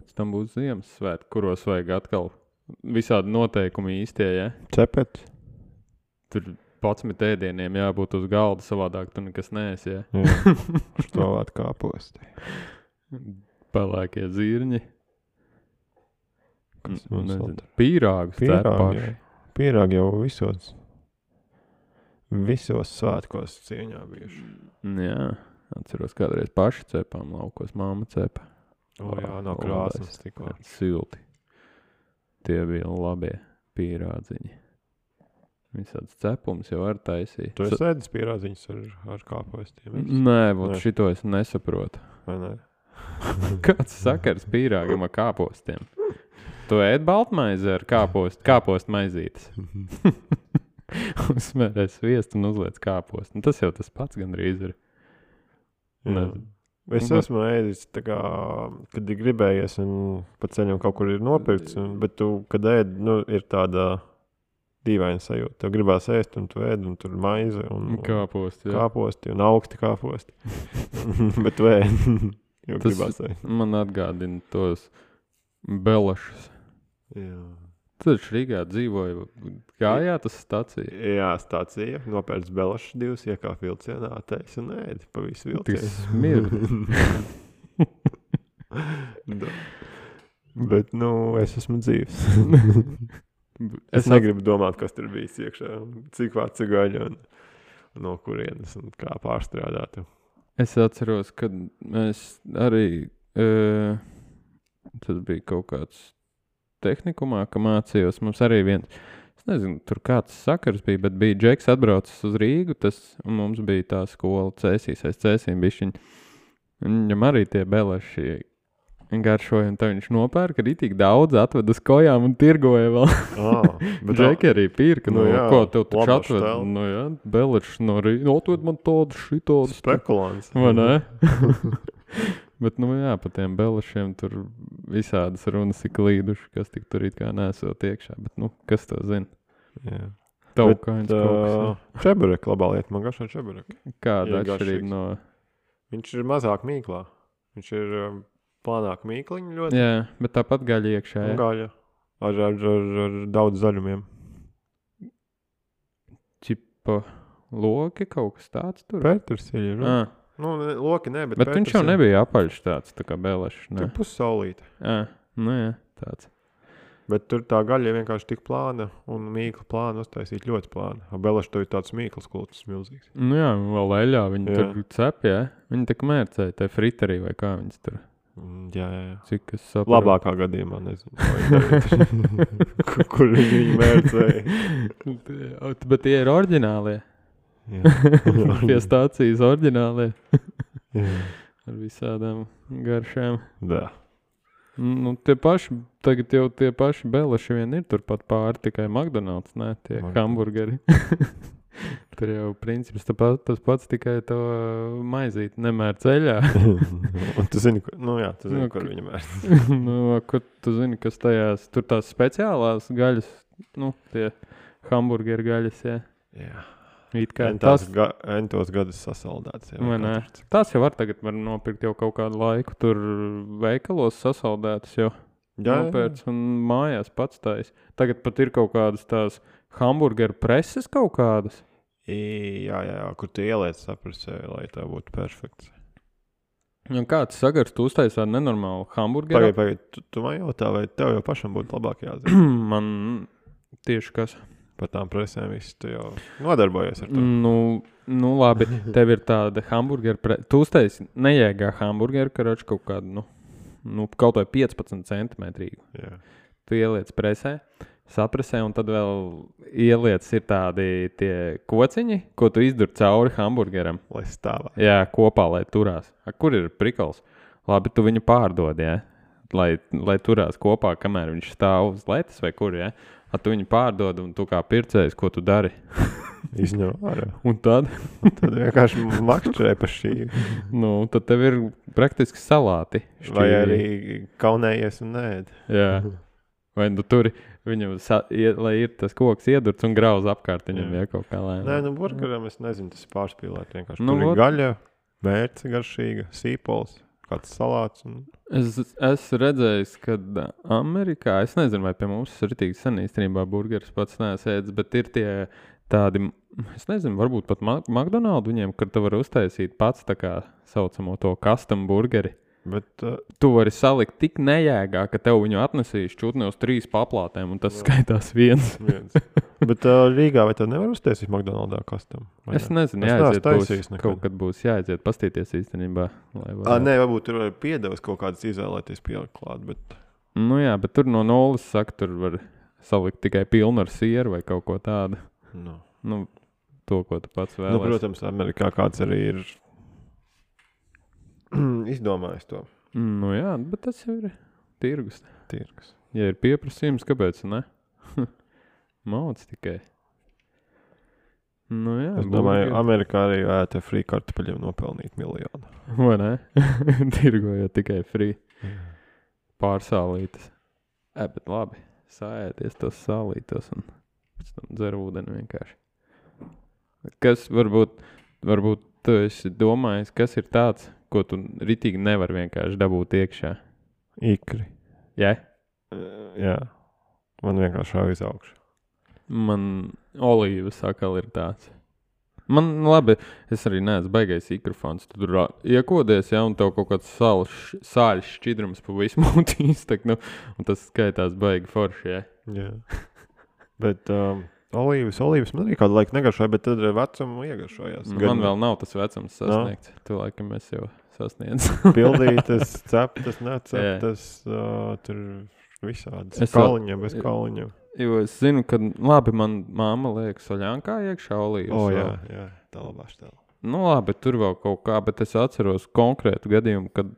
Speaker 1: Pēc tam būs Ziemassvētki, kuros vajag atkal visādi noteikumi īstie, ja?
Speaker 2: Cepet.
Speaker 1: Tur padsmit ēdieniem jābūt uz galda, savādāk tu nekas neesi, ja?
Speaker 2: Jā, štovāt kāposti.
Speaker 1: Pelēkie zirņi.
Speaker 2: Kas mums vēl tur?
Speaker 1: Pīrāgus cep paši.
Speaker 2: jā. Pīrāgi jau visos, visos svētkos cieņā bijuši.
Speaker 1: Jā, atceros kādreiz paši cepām laukos, mamma cepa.
Speaker 2: O jā, nav krāsas tikko.
Speaker 1: Silti. Tie bija labie pīrādziņi. Visāds cepums jau var taisīt.
Speaker 2: Tu esi ēdis pīrādziņus ar, ar kāpostiem?
Speaker 1: Nē, būt
Speaker 2: Nē.
Speaker 1: šito es nesaprotu.
Speaker 2: Vai ne?
Speaker 1: Kāds sakars pīrāgam ar kāpostiem? Tu ēd baltmaizi ar kāpostu, kāpostu maizītes. Uzmērē sviestu un uzliec kāpostu. Un tas jau tas pats gandrīz ir.
Speaker 2: Jā. Es esmu ēdis tā kā, kad ir gribējies un pa ceļam kaut kur ir nopirkts, un, bet tu, kad ēd, nu, ir tāda dīvaina sajūta. Tev gribās ēst un tu ēd un tur maize un
Speaker 1: Kāposti, jā.
Speaker 2: kāposti un augsti kāposti. Bet tu ēd, jo
Speaker 1: Tas
Speaker 2: gribās ēst.
Speaker 1: man atgādina tos belašus.
Speaker 2: Jā.
Speaker 1: Tad Rīgā dzīvoja, gājā tas stacija.
Speaker 2: Jā, stācija, nopērts belašas divas, iekāp vilcienā, teiks un ēdi pa visu
Speaker 1: Tik
Speaker 2: vilcienu.
Speaker 1: smirdi.
Speaker 2: Da. Bet, nu, es esmu dzīvs.
Speaker 1: Es
Speaker 2: Es negribu domāt, kas tur bijis iekšā, cik vārds gaļa un, un no kurienes un kā pārstrādāt.
Speaker 1: Es atceros, kad mēs arī, e, tas bija kaut kāds tehnikumā, ka mācījos, mums arī viens, es nezinu, tur kāds sakars bija, bet bija Džeks atbraucis uz Rīgu, tas, un mums bija tā skola Cēsīs, aiz Cēsīm bišķiņ. Viņam arī tie beleši garšoja, un tā viņš nopērka arī tik daudz, atved uz kojām un tirgoja vēl.
Speaker 2: Ah, bet
Speaker 1: Džeki arī pirka,
Speaker 2: nu
Speaker 1: nu,
Speaker 2: jā,
Speaker 1: ko tev taču
Speaker 2: laba
Speaker 1: atved,
Speaker 2: štela.
Speaker 1: nu jā, beleši no Rīgas, atved man tādu šitādu.
Speaker 2: spekulants.
Speaker 1: Vai ne? Bet, nu jā, pa tiem belešiem tur visādas runas ir klīduši, kas tik tur it kā nesot iekšā. Bet, nu, kas to zina?
Speaker 2: Jā.
Speaker 1: Taukains
Speaker 2: Bet,
Speaker 1: kaut kas.
Speaker 2: uh, čeburek, labā lieta, man garšo čeburek.
Speaker 1: Kāda
Speaker 2: jā,
Speaker 1: atšķirība
Speaker 2: garšīgs.
Speaker 1: no...
Speaker 2: Viņš ir mazāk mīklā. Viņš ir um, plānāk mīkliņi ļoti.
Speaker 1: Jā, bet tāpat gaļa iekšā,
Speaker 2: Un
Speaker 1: jā.
Speaker 2: gaļa. Ar, ar, ar, ar daudz zaļumiem.
Speaker 1: Čipa loki kaut kas tāds tur.
Speaker 2: Pētersiļi ir.
Speaker 1: Ah,
Speaker 2: Nu, ne, loki ne, bet
Speaker 1: bet viņš jau
Speaker 2: pētersiļi.
Speaker 1: nebija apaļš tāds, tā kā belešs,
Speaker 2: Tur
Speaker 1: ne?
Speaker 2: pussaulīte.
Speaker 1: Ah, nu jā, tāds.
Speaker 2: Bet tur tā gaļa vienkārši tik plāna un mīkla plāna uztaisīt ļoti plāna. A beleši to ir tāds mīklas kultus milzīgs.
Speaker 1: Nu jā, vēl eļā viņi
Speaker 2: Jā.
Speaker 1: tur cep, jā. Viņi tak mērcēja, te friterī vai kā viņas tur.
Speaker 2: Mm, Jā, jā, jā.
Speaker 1: Cik es saprotu.
Speaker 2: Labākā gadījumā, nezinu. Kur, kur viņi viņu mērcēja.
Speaker 1: Bet tie ir oriģinālie.
Speaker 2: Jā.
Speaker 1: Pie stācijas oriģinālie.
Speaker 2: Jā.
Speaker 1: Ar visādām garšām.
Speaker 2: Da.
Speaker 1: Nu, tie paši, tagad jau tie paši beleši vien ir turpat pāri, tikai McDonald's, ne, tie
Speaker 2: McDonald's.
Speaker 1: hamburgeri. Tur jau princips tāpat, tas pats, tikai to maizīt nemēr ceļā.
Speaker 2: Un tu zini, kur, nu jā, tu zini,
Speaker 1: Nu,
Speaker 2: kur
Speaker 1: ka-
Speaker 2: viņa mērc.
Speaker 1: Nu, kur tu zini, kas tajās, tur tās speciālās gaļas, nu, tie hamburgeri gaļas, jā.
Speaker 2: Jā.
Speaker 1: It kā
Speaker 2: Entās
Speaker 1: tas,
Speaker 2: ga, entos gadus sasaldēts. Jā,
Speaker 1: vai ne?
Speaker 2: katrs.
Speaker 1: Tās jau var tagad var nopirkt jau kaut kādu laiku, tur veikalos sasaldētas jau.
Speaker 2: Jā, jā,
Speaker 1: Nopērts un mājās pats tais. Tagad pat ir kaut kādas tās hamburgeru preses kaut kādas.
Speaker 2: I- jā, jā, jā, kur tu ieliec saprasē, lai tā būtu perfekts.
Speaker 1: Un kāds sagars, tu uztaisi tādu nenormālu hamburgeru?
Speaker 2: Pagaid, pagaid, tu, tu man jautā, vai tev jau pašam būtu labāk jāzina
Speaker 1: Man tieši kas.
Speaker 2: par tām presēm, visu tu jau nodarbojies ar to.
Speaker 1: Nu, nu labi, tev ir tāda hamburgeru prese. Tu uztaisi nejēgā hamburgeru, karoči kaut kādu, nu, nu kaut vai piecpadsmit centimetrīgu.
Speaker 2: Jā.
Speaker 1: Tu ieliec presē, sapresē, un tad vēl ieliec ir tādi tie kociņi, ko tu izdur cauri hamburgeram.
Speaker 2: Lai stāvā.
Speaker 1: Jā, kopā, lai turās. A, kur ir prikals? Labi, tu viņu pārdod, jā? Lai, lai turās kopā, kamēr viņš stāv uz letes vai kur, jā? A, tu viņu pārdod, un tu kā pircējs, ko tu dari?
Speaker 2: Izņem ārā.
Speaker 1: Un tad,
Speaker 2: Tad vienkārši makšķerē pa šī.
Speaker 1: nu, tad tev ir praktiski salāti.
Speaker 2: Vai
Speaker 1: šķīvi.
Speaker 2: arī kaunējies un nēd.
Speaker 1: Jā. Vai nu tur viņam, sa, ie, lai ir tas koks iedurts un grauz apkārt viņam
Speaker 2: Jā.
Speaker 1: ja kaut kā lēnām.
Speaker 2: Nē, nu burgeram es nezinu, tas ir pārspīlēt vienkārši.
Speaker 1: Nu,
Speaker 2: Tur ir
Speaker 1: vot.
Speaker 2: gaļa, mērce garšīga, sīpols, kāds salāts. Un...
Speaker 1: Es esmu redzējis, ka Amerikā, es nezinu, vai pie mums ir ritīgi sen īstenībā burgeris pats neesēdz, bet ir tie tādi, es nezinu, varbūt pat McDonald's viņiem, kur tu vari uztaisīt pats tā kā saucamo to custom burgeri.
Speaker 2: Bet, uh,
Speaker 1: Tu vari salikt tik nejēgā, ka tev viņu atnesīs čutni uz trīs paplātēm, un tas jā. Skaitās viens.
Speaker 2: viens. Bet uh, Rīgā vai tev nevar uztaisīt McDonald's custom?
Speaker 1: Es nezinu,
Speaker 2: es
Speaker 1: jāaiziet būs,
Speaker 2: nekad.
Speaker 1: kaut kad būs jāaiziet pastīties īstenībā.
Speaker 2: Ā, nē, varbūt tur var piedevas kaut kādas izvēlēties pielikt klāt, bet...
Speaker 1: Nu jā, bet tur no nulles saka, tur var salikt tikai pilnu ar sieru vai kaut ko tādu.
Speaker 2: No.
Speaker 1: Nu, to, ko tu pats vēlies.
Speaker 2: Nu, protams, Amerikā kāds arī ir izdomājis to.
Speaker 1: Nu jā, bet tas jau ir tirgus.
Speaker 2: Tirgus.
Speaker 1: Ja ir pieprasījums, kāpēc ne? Mauc tikai. Nu jā.
Speaker 2: Es domāju, Amerikā arī ēta free kartupeļiem nopelnīt miljonu.
Speaker 1: Vai ne? Tirgojot tikai free. Pārsālītas. E, bet labi. Sāēties tos sālītos un pēc tam dzer ūdeni vienkārši. Kas varbūt, varbūt tu esi domājis, kas ir tāds, ko tu ritīgi nevar vienkārši dabūt iekšā?
Speaker 2: Ikri.
Speaker 1: Jā?
Speaker 2: Uh, jā. Man vienkārši šāv iz augšu.
Speaker 1: Man olīvas sakal ir tāds. Man, labi, es arī neesmu baigais ikrofons. Tu tur iekodies, ja, un tev kaut kāds sāļš, sāļš šķidrums pa visu mūtīs, tak, nu, un tas skaitās baigi forši, jā.
Speaker 2: Jā. Bet um, olīvas, olīvas man arī kādu laiku negaršoja, bet tad vecumu iegaršojās.
Speaker 1: Man Gan... vēl nav tas vecums sasniegts. No. Tu laikam es jau sasniedz.
Speaker 2: Pildītas, ceptas, neceptas, uh, tur visādas. Es kauliņiem, bez kauliņiem.
Speaker 1: Jo es zinu, ka, labi, man māma liek soļankā iekšā olīvas.
Speaker 2: O, jā, jā, tā labā štēla.
Speaker 1: Nu, labi, tur vēl kaut kā, bet es atceros konkrētu gadījumu, kad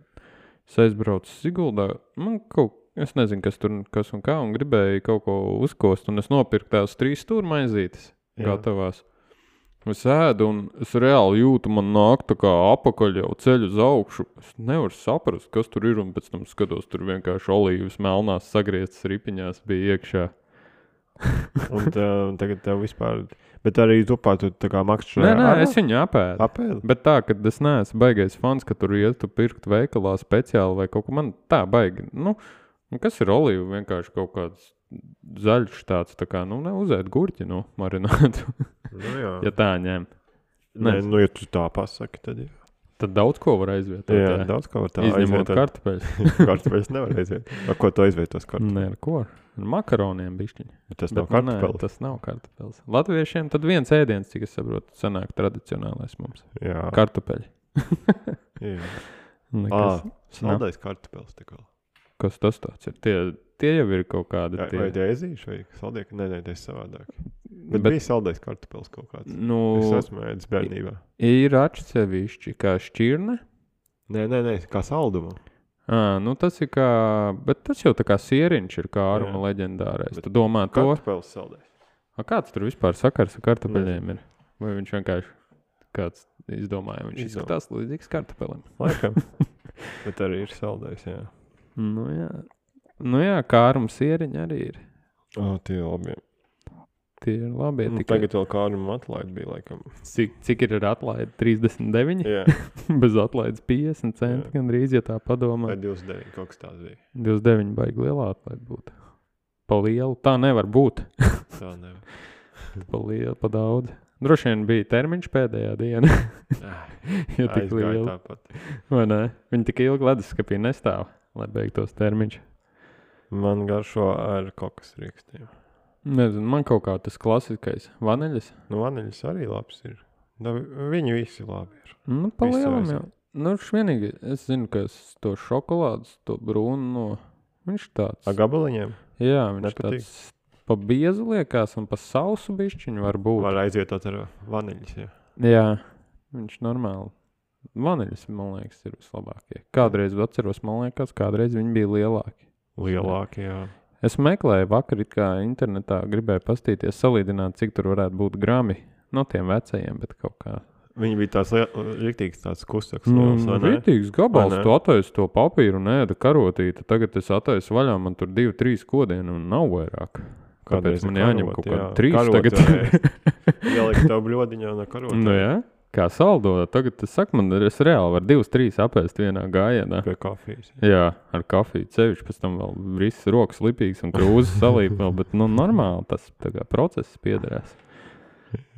Speaker 1: es aizbraucu Siguldā. Man kaut, es nezinu, kas tur, kas un kā, un gribēju kaut ko uzkost, un es nopirku tās trīs stūra maizītes gatavās. Es ēdu, un es reāli jūtu, man nāk tā kā apakaļ jau ceļu uz augšu. Es nevaru saprast, kas tur ir, un pēc tam skatos, tur vienkārši olīvas melnās sagrieztas ripiņās bija iekšā.
Speaker 2: un, tā, un tagad tev vispār... Bet arī tupā tu tā kā makšķi...
Speaker 1: Nē, nē, ar... es viņu apēdu.
Speaker 2: Apēdu?
Speaker 1: Bet tā, ka es neesmu baigais fans, ka tur iet tu pirkt veikalā speciāli vai kaut ko. Man tā baigi. Nu, kas ir olīva? Vienkārši kaut kāds zaļš tāds, tā kā, nu, neuzēt gurķi, nu, marinātu.
Speaker 2: Nu jā.
Speaker 1: Ja tā ņem.
Speaker 2: Nē, nu, ja tu tā pasaki, tad jā.
Speaker 1: Tad daudz ko var aizvietot.
Speaker 2: Jā, jā. daudz ko var tā
Speaker 1: Izņemot
Speaker 2: aizvietot.
Speaker 1: kartupeļus.
Speaker 2: Kartupeļus nevar aizvietot. Ar ko tu aizvietos kartupeļus?
Speaker 1: Nē, ar ko? Ar makaroniem bišķiņi.
Speaker 2: Tas nav kartupeļs.
Speaker 1: Nē, tas nav kartupeļs. Latviešiem tad viens ēdiens, cik es saprotu, sanāk tradicionālais mums.
Speaker 2: Jā.
Speaker 1: Kartupeļi.
Speaker 2: Jā.
Speaker 1: Nekas,
Speaker 2: Ā, saldais kartupeļs tik vēl.
Speaker 1: Kas tas tāds ir? Tie, tie jau ir kaut kādi.
Speaker 2: Jā,
Speaker 1: Tie...
Speaker 2: vai tie ezīši vai saldieki? Nē, nē, tie ir savādāk. Bet,
Speaker 1: Bet
Speaker 2: bija saldais kartupeļs kaut kāds.
Speaker 1: Nu,
Speaker 2: es esmu ēdis bērnībā.
Speaker 1: Ir atsevišķi kā šķirne.
Speaker 2: Nē, nē, nē, kā saldumu.
Speaker 1: À, nu tas ir kā, bet tas jau tā kā sieriņš ir kā āruma leģendārais. Bet tu domā to?
Speaker 2: Kartupeļs saldais.
Speaker 1: A, kāds tur vispār sakars ar kartupeļiem ir? Vai viņš vienkārši kāds izdomāja? Viņš
Speaker 2: Izdomā.
Speaker 1: izskatās līdzīgs kartupelim.
Speaker 2: Laikam. Bet arī ir saldais, jā.
Speaker 1: Nu jā, nu jā, kā āruma sieriņi arī ir.
Speaker 2: O, tie labi.
Speaker 1: Tie ir labi.
Speaker 2: Nu,
Speaker 1: tikai...
Speaker 2: Tagad vēl kā āruma atlaid bija, laikam.
Speaker 1: Cik, cik ir atlaide? trīsdesmit deviņi?
Speaker 2: Jā.
Speaker 1: Bez atlaides piecdesmit centi gandrīz, ja tā padomā.
Speaker 2: Vai divdesmit deviņi, kaut kas tāds bija.
Speaker 1: divdesmit deviņi baigi lielā atlaide būt. Pa lielu. Tā nevar būt.
Speaker 2: Tā nevar.
Speaker 1: Pa lielu, pa daudz. Droši vien bija termiņš pēdējā diena. Ja tik liela.
Speaker 2: Tāpat.
Speaker 1: Vai ne? Viņi tik ilgi leduskapī nestāv, lai beigtos termiņš.
Speaker 2: Man garšo ar kokas rīkstiem.
Speaker 1: Nezinu, man kaut kā tas klasiskais vaniļas.
Speaker 2: Nu, vaniļas arī labs ir. Da, viņi visi labi ir.
Speaker 1: Nu, pa lielam jau. Nu, vienīgi, es zinu, ka es to šokolādes, to brūnu no... Viņš tāds...
Speaker 2: A gabaliņiem?
Speaker 1: Jā, viņš
Speaker 2: Nepatīk.
Speaker 1: tāds pa biezu liekas un pa sausu bišķiņu var būt.
Speaker 2: Var aizvietot ar vaniļas, jā.
Speaker 1: Jā, viņš normāli. Vaniļas, man liekas, ir vislabākie. Kādreiz atceros, man liekas, kādreiz viņi bija lielāki.
Speaker 2: Lielāki, jā.
Speaker 1: Es meklēju vakar, it kā internetā gribēju pastīties, salīdināt, cik tur varētu būt grami no tiem vecajiem, bet kaut kā
Speaker 2: Viņi bija tās rīktīgs tāds kustāks.
Speaker 1: Nu, rītīgs gabals, tu attaisi to papīru un ēda karotīti. Tagad es attaisu vaļā, man tur divi, trīs kodieni un nav vairāk. Kāpēc man jāņem kaut kādā trīs
Speaker 2: karot,
Speaker 1: tagad?
Speaker 2: Ielikt tev bļodiņā no karotā.
Speaker 1: Nu jā, kā saldo. Tagad es saku, man es reāli var divas, trīs apēst vienā gājienā.
Speaker 2: Pie kafijas.
Speaker 1: Jā, ar kafiju cevišķi, pēc tam vēl viss rokas lipīgs un krūzes salīp vēl, bet nu normāli tas tā kā process piederās.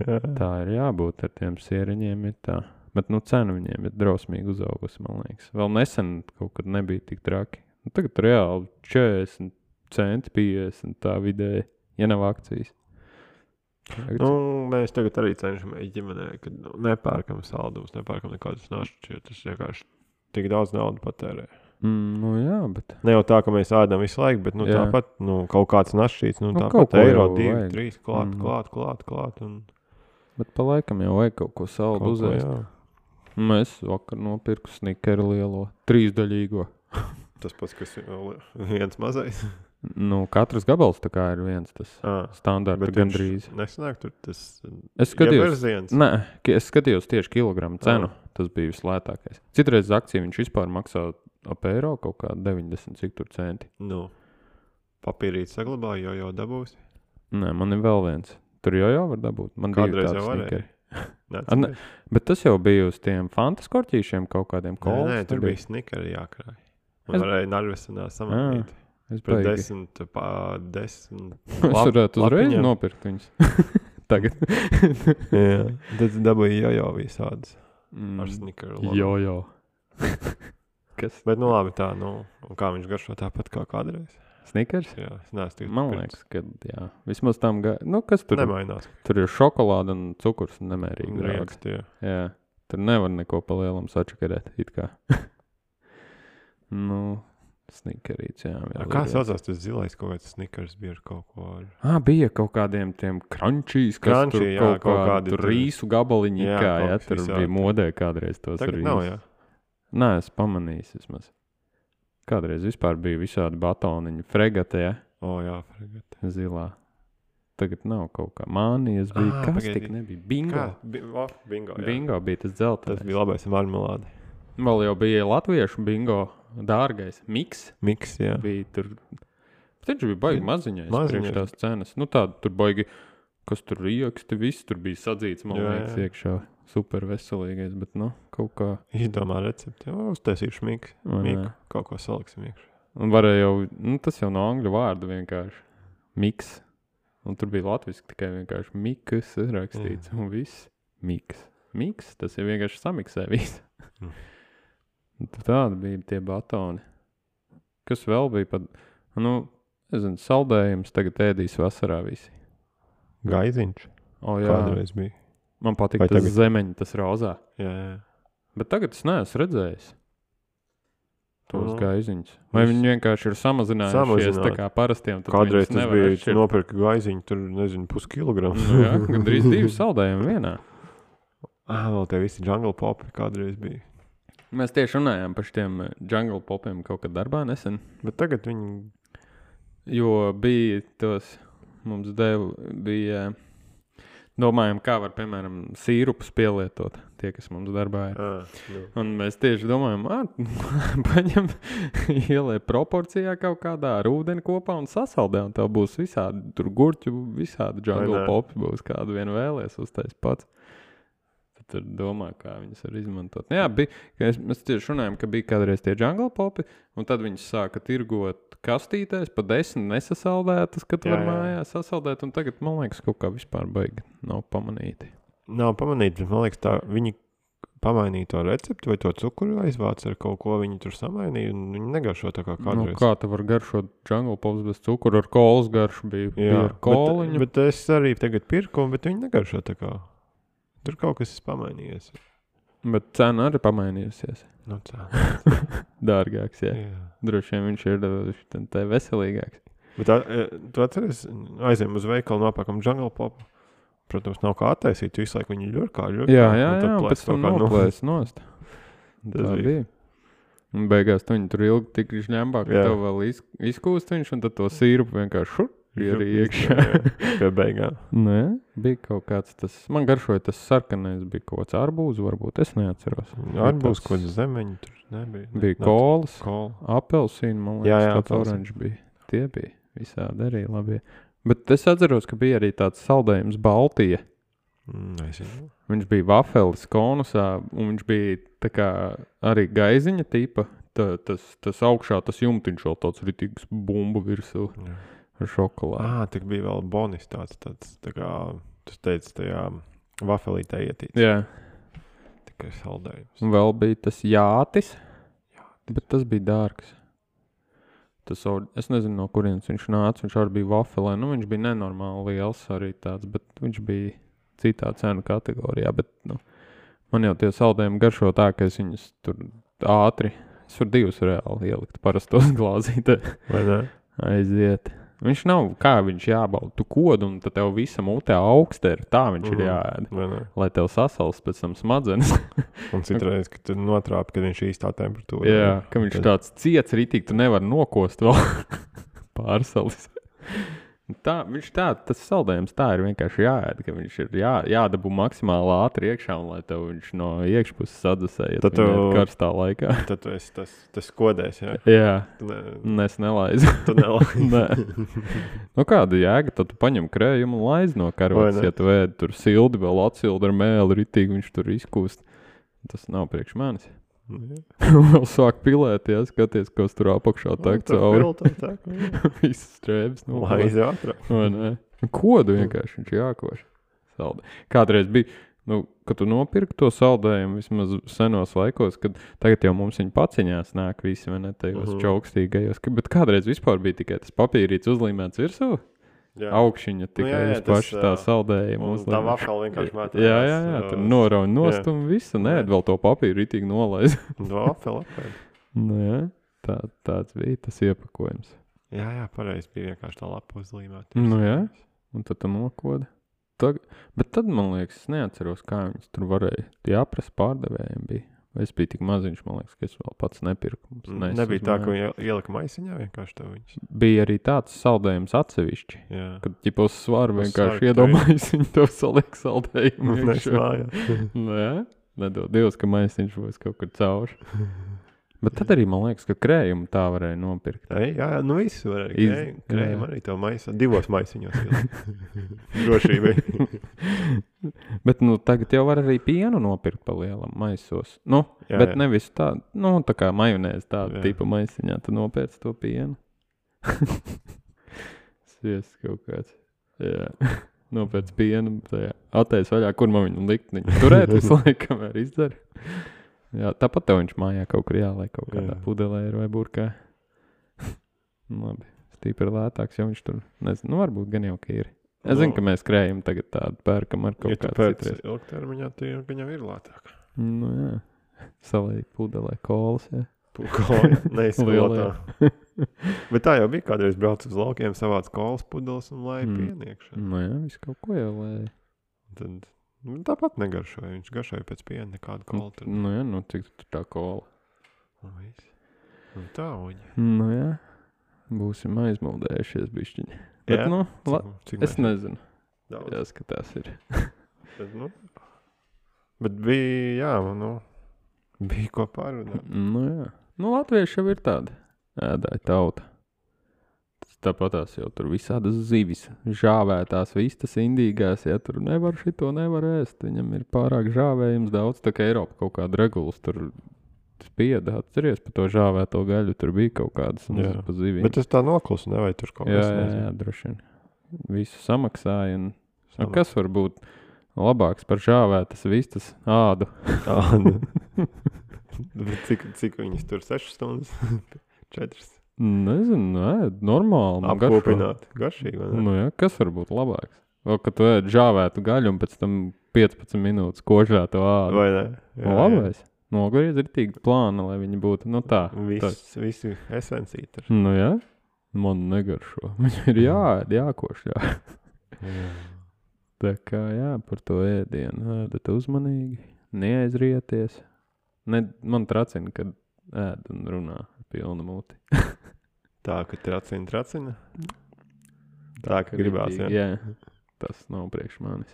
Speaker 1: Jā. Tā ir jābūt ar tiem sieriņiem, ir tā. Bet, nu, cena viņiem ir drausmīgi uzaugusi, man liekas. Vēl nesen kaut kad nebija tik traki. Nu, tagad reāli četrdesmit centi, piecdesmit tā vidēji, ja nav akcijas. Tagad...
Speaker 2: Nu, mēs tagad arī cenšamies ģimenē, kad nu, nepērkam saldumus, nepērkam nekādus našķus, jo tas vienkārši tik daudz naudu patērē.
Speaker 1: Mm, nu jā, bet...
Speaker 2: Ne jau tā, ka mēs ēdam visu laiku, bet nu,
Speaker 1: jā.
Speaker 2: Tāpat nu, kaut kāds našķīts, nu,
Speaker 1: nu
Speaker 2: tāpat eiro, divi, trīs, klāt, mm. klāt, klāt, klāt. Un...
Speaker 1: Bet pa laikam jau vajag kaut ko saldu uzēst. Mēs vakar nopirku snikeri lielo, trīsdaļīgo.
Speaker 2: Tas pats, kas viens mazais.
Speaker 1: Nu, katrs gabals tā kā ir viens tas
Speaker 2: à,
Speaker 1: standarta gandrīz.
Speaker 2: Nesanāk tur tas
Speaker 1: es skatījos, nē, es skatījos tieši kilogramu cenu, à. Tas bija vislētākais. Citreiz akcija viņš vispār maksā ap eiro kaut kā deviņdesmit cik tur centi.
Speaker 2: Nu, papīrīt saglabāju, jo jau dabūsi?
Speaker 1: Nē, man ir vēl viens. Tur jau jau var dabūt. Man
Speaker 2: kādreiz jau varēja.
Speaker 1: Ne, bet tas jau bija uz tiem fantaskorķīšiem kaut kādiem kolas.
Speaker 2: Nē, nē, tur bija snikeri jākrāj. Man es... varēja narvesenā samanīt.
Speaker 1: Es
Speaker 2: Par desmit, pā, desmit.
Speaker 1: Es varētu uzreiz nopirkt viņus. Tagad.
Speaker 2: Jā, tad dabūja jojo visādas.
Speaker 1: Mm,
Speaker 2: ar snikeru.
Speaker 1: Jojo. Kas?
Speaker 2: Bet nu labi tā, nu, un kā viņš garšo tāpat kā kādreiz?
Speaker 1: Snikers?
Speaker 2: Jā, es neesmu
Speaker 1: Man liekas, ka jā. Vismaz tam, ga... nu, kas tur?
Speaker 2: Nemainās.
Speaker 1: Tur ir šokolāda un cukurs nemērīgi.
Speaker 2: Riekst, jā.
Speaker 1: Jā, tur nevar neko pa lielam sačakarēt, it kā. Nu, snikerīts, jā.
Speaker 2: A, kā saucās tas zilais kaut kāds snikers bija ar kaut ko ar...
Speaker 1: Ā, bija kaut kādiem tiem crunchies, kas
Speaker 2: Crunchy,
Speaker 1: tur
Speaker 2: jā,
Speaker 1: kaut,
Speaker 2: kaut
Speaker 1: kādi tur rīsu gabaliņi, jā, kā, jā, tur
Speaker 2: visādi.
Speaker 1: Bija modē kādreiz tos
Speaker 2: Tagad
Speaker 1: rīsus.
Speaker 2: nav, jā?
Speaker 1: Nē, es pamanīju vismaz. Kādreiz vispār bija visādi batoniņi. Fregate, jā?
Speaker 2: O, jā, fregate.
Speaker 1: Zilā. Tagad nav kaut kā. Mānijas bija.
Speaker 2: Ah,
Speaker 1: Kas
Speaker 2: pagaidi.
Speaker 1: tik nebija? Bingo.
Speaker 2: Kā? Bi o, bingo, jā.
Speaker 1: Bingo bija tas dzeltenais.
Speaker 2: Tas bija labais marmelādi.
Speaker 1: Vēl jau bija latviešu bingo dārgais. Miks.
Speaker 2: Miks, jā.
Speaker 1: Bija tur. Viņš bija baigi maziņais.
Speaker 2: Maziņais.
Speaker 1: Priekš tās cenas. Nu tāda tur baigi, kas tur rieksti, viss tur bija sadzīts, man
Speaker 2: Jā,
Speaker 1: liekas,
Speaker 2: jā.
Speaker 1: iekšā. Super veselīgais, bet nu, kaut kā.
Speaker 2: Izdomā recepti. O, uztaisīšu miku.
Speaker 1: Vai ne?
Speaker 2: Miku. Kaut ko saliksim iekšā.
Speaker 1: Un varēja jau, nu tas jau no angļu vārda vienkārši. Miks. Un tur bija latviski tikai vienkārši mikas rakstīts. Jā. Un viss. Miks. Miks, tas ir vienkārši samiksē viss.
Speaker 2: Mm.
Speaker 1: Tāda bija tie batoni. Kas vēl bija pat, nu, nezinu, saldējums tagad ēdīs vasarā visi.
Speaker 2: Gaiziņš.
Speaker 1: O, jā.
Speaker 2: Kādreiz bija.
Speaker 1: Man patīk
Speaker 2: Vai
Speaker 1: tas
Speaker 2: tagad?
Speaker 1: zemeņi, tas rozā.
Speaker 2: Jā, jā.
Speaker 1: Bet tagad es neesmu redzējis tos
Speaker 2: Nu,
Speaker 1: gaiziņus. Vai
Speaker 2: es-
Speaker 1: viņi vienkārši ir samazinājušies
Speaker 2: Samazināti.
Speaker 1: tā kā parastiem? tad
Speaker 2: Kādreiz
Speaker 1: viņus
Speaker 2: tas
Speaker 1: nevar
Speaker 2: bija,
Speaker 1: atšķirt?
Speaker 2: nopirka gaiziņu, tur, nezinu, puskilogramu.
Speaker 1: Nu, jā, gandrīz divi saldējumi vienā.
Speaker 2: Ah, vēl tie visi jungle popi kādreiz bija.
Speaker 1: Mēs tieši runājām par šiem jungle popiem kaut kad darbā nesen.
Speaker 2: Bet tagad viņi...
Speaker 1: Jo bija tos, mums deva, bija, domājam, kā var, piemēram, sīrupus pielietot, tie, kas mums darbā ir.
Speaker 2: Ah, nu.
Speaker 1: Un mēs tieši domājam, ā, paņem, ielē proporcijā kaut kādā ar ūdeni kopā un sasaldē, un tev būs visādi, tur gurķu, visādi jungle
Speaker 2: ne?
Speaker 1: popi būs, kādu vien vēlies uztais pats. Tad tur domā, kā viņus var izmantot. Jā, bija, ka es, mēs tieši runājam, ka bija kādreiz tie jungle popi, un tad viņus sāka tirgot kastītēs, pa desmit nesasaldētas, kad
Speaker 2: Jā,
Speaker 1: var
Speaker 2: jā.
Speaker 1: mājās sasaldēt, un tagad, man liekas, kaut kā vispār baigi nav pamanīti.
Speaker 2: Nav pamanīti, bet man liekas tā, viņi pamainīja to recepti vai to cukuru aizvāc ar kaut ko, viņi tur samainīja un viņi negaršo tā kā
Speaker 1: Nu,
Speaker 2: kādreiz.
Speaker 1: kā te var garšot jungle pops bez cukuru, ar kolas garšu bija, bija
Speaker 2: Jā,
Speaker 1: ar koliņu.
Speaker 2: bet, bet es arī tagad pirku, bet viņi negaršo tā kā. Tur kaut kas ir pamainījies.
Speaker 1: Bet cena arī pamainījusies.
Speaker 2: Nu, tā.
Speaker 1: Dārgāks, jā.
Speaker 2: Jā.
Speaker 1: Droši vien viņš ir te- te veselīgāks.
Speaker 2: Bet tā, e, tu atceries, aizējām uz veikalu, nopākam jungle popu. Protams, nav kā attaisīt, visu laiku viņi ļurkā, ļurkā.
Speaker 1: Jā, jā,
Speaker 2: un tad
Speaker 1: jā, un
Speaker 2: plēst
Speaker 1: pēc tam
Speaker 2: kaut kā no-
Speaker 1: noplēs nost.
Speaker 2: Tas
Speaker 1: Tā
Speaker 2: bija.
Speaker 1: bija. Un beigās tu viņu tur ilgi tik žņembā, ka
Speaker 2: Jā.
Speaker 1: tev vēl iz, izkūst viņš, un tad to sīrupu vienkārši šur, ir iekšā.
Speaker 2: Pie beigām.
Speaker 1: Nē, bija kaut kāds tas, man garšoja tas sarkanais, bija kaut kāds arbūzu, varbūt, es neatceros.
Speaker 2: Arbūz, kaut kāds zemeņi tur nebija.
Speaker 1: Bija kolas,
Speaker 2: Kola.
Speaker 1: apelsīni, man liekas,
Speaker 2: Jā, jā,
Speaker 1: tāds
Speaker 2: apelsīni.
Speaker 1: oranžs bija. Tie bija visādi arī labi. Bet es atceros, ka bija arī tāds saldējums Baltija.
Speaker 2: Mm, nezinu.
Speaker 1: Viņš bija vafelis konusā, un viņš bija tā kā arī gaiziņa tipa. Tā, tas, tas augšā, tas jumtiņš vēl tāds ritīgs bumbu virsū
Speaker 2: Jā.
Speaker 1: ar šokolādu.
Speaker 2: Ā, tik bija vēl bonis tāds, tāds, tā kā, tu teici, tajā vafelītē ietīts.
Speaker 1: Jā,
Speaker 2: Tikai saldējums.
Speaker 1: un vēl bija tas jātis, bet tas bija dārgs. Tas, au- es nezinu, no kurienes viņš nāca, viņš arī bija vafelē, nu viņš bija nenormāli liels arī tāds, bet viņš bija citā cenu kategorijā, bet, nu, man jau tie saldējumi garšo tā, ka es viņus tur ātri, es varu divus reāli ielikt parastos glāzītē,
Speaker 2: Vai ne?
Speaker 1: aiziet. Viņš nav, kā viņš jābauda, tu kodu un tad tev visa mutē augsteri, tā viņš
Speaker 2: Mhm.
Speaker 1: ir jāēd,
Speaker 2: Vai ne?
Speaker 1: lai tev sasals pēc tam smadzenes.
Speaker 2: Un citreiz, kad tu notrāpi, kad viņš īstā temperatūra.
Speaker 1: Jā, ka viņš
Speaker 2: Tad-
Speaker 1: tāds ciets ritīgi, tu nevar nokost vēl pārsalis. Tā, viņš tā, tas saldējums tā ir vienkārši jāēd, ka viņš ir jā, jādabū maksimāli ātri iekšā un lai tev viņš no iekšpuses sadusē, ja
Speaker 2: Tad
Speaker 1: tu viņu
Speaker 2: tu-
Speaker 1: ēd karstā laikā.
Speaker 2: Tad tu esi tas, tas kodēs, jā.
Speaker 1: Jā,
Speaker 2: Tu, ne,
Speaker 1: un es nelaizu.
Speaker 2: tu nelaiž.
Speaker 1: Nē. Nu kāda jēga, tad tu paņem krējumu un laiz no karotes,
Speaker 2: Vai ne?
Speaker 1: ja tu ēd tur sildi, vēl atsildi ar mēli ritīgi, viņš tur izkūst. Tas nav priekš manis. Vēl sāk pilēt, ja skaties, kas tur apakšā tek cauri. Visas strēbas. Nu,
Speaker 2: Laiz ātrāk.
Speaker 1: vai ne? Kodu vienkārši viņš jākoš. Saldi. Kādreiz bija, nu, kad tu nopirki to saldējumu vismaz senos laikos, kad tagad jau mums viņa paciņās nāk visi, vai ne, tajos
Speaker 2: Mhm.
Speaker 1: čaukstīgajos. ka- Bet kādreiz vispār bija tikai tas papīrīts uzlīmēts virsū,
Speaker 2: Jā.
Speaker 1: augšiņa tikai
Speaker 2: jā, jā,
Speaker 1: uz
Speaker 2: tas,
Speaker 1: pašu tā
Speaker 2: ā,
Speaker 1: saldējuma
Speaker 2: Un tā
Speaker 1: uzlīmēta.
Speaker 2: vafela vienkārši metā.
Speaker 1: Jā, jā, jā, tur norauj nost
Speaker 2: jā.
Speaker 1: un visu, nē,
Speaker 2: Jā.
Speaker 1: vēl to papīru ritīgi nolaiz.
Speaker 2: Vafela apēd.
Speaker 1: Nu, jā, tā, tāds bija tas iepakojums.
Speaker 2: Jā, jā, pareizi bija vienkārši tā lapa uzlīmēta.
Speaker 1: Nu jā. Un tad tu nokoda. Tag... Bet tad, man liekas, es neatceros, kā viņas tur varēja. Tie apras pārdevējiem bija. Vai es biju tik maziņš, man liekas, ka es vēl pats nepirku. Mums nes
Speaker 2: Nebija
Speaker 1: uz
Speaker 2: tā, ka
Speaker 1: mājās.
Speaker 2: viņi ielika maisiņā vienkārši tev viņus.
Speaker 1: Bija arī tāds saldējums atsevišķi.
Speaker 2: Jā.
Speaker 1: Kad ķipos svaru
Speaker 2: Uz
Speaker 1: vienkārši
Speaker 2: svaru
Speaker 1: iedomājas, viņi to saliek saldējumu.
Speaker 2: Nes
Speaker 1: iekšā.
Speaker 2: mājās.
Speaker 1: Nu jā, nedod Dievs, ka maisiņš būs kaut kur cauri. Bet tad arī, man liekas, ka krējumu tā varēja nopirkt.
Speaker 2: Ei, jā, jā, nu viss var arī.
Speaker 1: Iz-
Speaker 2: Krējumi, krējumi
Speaker 1: jā.
Speaker 2: arī tev maisā. Divos maisiņos ielika. Drošībai.
Speaker 1: Bet nu, tagad jau var arī pienu nopirkt pa lielam maisos. Nu,
Speaker 2: Jā,
Speaker 1: bet
Speaker 2: jā.
Speaker 1: nevis tā, nu, tā kā majonēs tāda
Speaker 2: Jā.
Speaker 1: tipa maisiņā, tu nopērc to pienu. Sviests kaut kāds. Jā. Nopērc pienu, tajā atteic vaļā, kur man viņu likt. Viņu turēt visu laiku, kamēr izdara. Jā, tāpat tev viņš mājā kaut kur jāliek kaut kādā
Speaker 2: Jā.
Speaker 1: pudelē ir vai burkā. Labi, stīpri lētāks, jo viņš tur, nezinu, nu varbūt gan jau ka ir. Es zinu,
Speaker 2: Nu.
Speaker 1: ka mēs krējam tagad tādu pērkam ar kaut
Speaker 2: Ja tu
Speaker 1: kādu
Speaker 2: pēc
Speaker 1: citreiz.
Speaker 2: ilgtermiņā, tad viņam ir lētāk.
Speaker 1: Nu jā, salīgi pudelē kolas, jā.
Speaker 2: Pukoja, neizskolotā.
Speaker 1: Lielie.
Speaker 2: Bet tā jau bija kādreiz brauc uz laukiem, savāc kolas pudeles un lai
Speaker 1: Mm.
Speaker 2: pieniekšana.
Speaker 1: Nu jā, visu kaut ko jau lēja.
Speaker 2: Tad nu, tāpat negaršoja. Viņš garšoja pēc piena nekādu kola. Tad,
Speaker 1: Nu jā, nu cik tu tā kola.
Speaker 2: un viss. Un tā, uģi.
Speaker 1: Nu jā, būsim aizmuldējušies bišķiņi. Bet
Speaker 2: Jā?
Speaker 1: nu, la,
Speaker 2: Cik
Speaker 1: es
Speaker 2: mēs-
Speaker 1: nezinu,
Speaker 2: Daudz.
Speaker 1: jāskatās ir.
Speaker 2: Bet, nu, bet bija, jā, nu, bija ko parunāt.
Speaker 1: Nu jā, nu latvieši jau ir tāda ēdāja tauta. Tas tāpatās jau tur visādas zivis, žāvētās vistas indīgās, ja tur nevar šito nevar ēst, viņam ir pārāk žāvējums daudz, tā kā Eiropa kaut kāda regulas tur spieda, atceries par to žāvēto gaļu, tur bija kaut kādas un
Speaker 2: Jā.
Speaker 1: pa zivīm.
Speaker 2: Bet es tā noklusu, nevajag tur kaut
Speaker 1: jā,
Speaker 2: kas
Speaker 1: jā, jā,
Speaker 2: nezinu.
Speaker 1: droši vien. Visu samaksāja un nu,
Speaker 2: Samaksā.
Speaker 1: kas var būt labāks par žāvētas vistas ādu?
Speaker 2: Ā, nu. Bet cik, cik viņas tur sešas stundas? Četras.
Speaker 1: Nezinu, nē, normāli. man garšo.
Speaker 2: Apkopināt. Garšīgi, vai ne?
Speaker 1: Nu, jā, kas var būt labāks? Vēl, kad tu ēd žāvētu gaļu un pēc tam piecpadsmit minūtes kožētu ādu.
Speaker 2: Vai ne?
Speaker 1: Nu, labais. Nogriez ir tik plāna, lai viņi būtu, nu tā. tā.
Speaker 2: Viss, visi esencija tur.
Speaker 1: Nu, jā, man negaršo. Viņi ir jāēd, jākošļā. Tā kā, jā, par to ēdienu ēdat uzmanīgi, neaizrieties. Ne, man tracina, kad ēd un runā ar pilnu muti.
Speaker 2: Tā, ka tracina, tracina. Tā, ka gribās,
Speaker 1: ritīgi, jā. Tas nav priekš manis.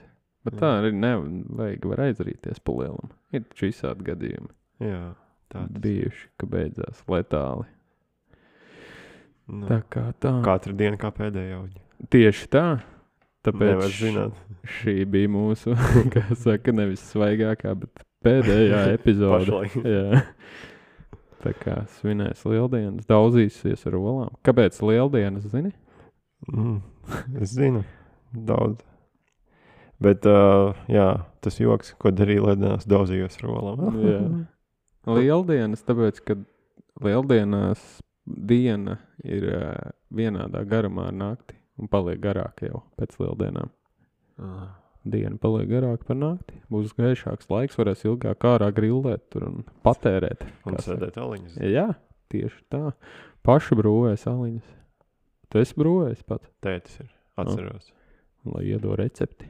Speaker 1: Bet jā. Tā arī nevajag, var aizrīties pa lielam. Ir taču visādi gadījumi.
Speaker 2: Jā, tā tas.
Speaker 1: Bijuši, ka beidzās letāli.
Speaker 2: Nu,
Speaker 1: tā kā tā.
Speaker 2: Katru dienu kā pēdējā uģi.
Speaker 1: Tieši tā. Tāpēc
Speaker 2: Nevar zināt.
Speaker 1: šī bija mūsu, kā saka, nevis svaigākā, bet pēdējā epizode.
Speaker 2: Pašlaik.
Speaker 1: Jā. Tā kā svinēs lieldienas, daudzīsies ar olām. Kāpēc lieldienas, zini?
Speaker 2: Mm, es zinu. Daudz. Bet, uh, jā, tas joks, ko darīja lieldienās, daudzījos ar olām.
Speaker 1: Jā. Lieldienas, tāpēc, ka lieldienās diena ir uh, vienādā garumā ar nakti un paliek garāk jau pēc lieldienām.
Speaker 2: Ah.
Speaker 1: Diena paliek garāk par nakti. Būs gaišāks laiks, varēs ilgāk ārā grillēt tur un patērēt.
Speaker 2: Un sēdēt aliņas.
Speaker 1: Jā, tieši tā. Paši brūvēs aliņas. Tu esi brūvējis pat?
Speaker 2: Tētis ir, atceros.
Speaker 1: Oh. Lai iedo recepti.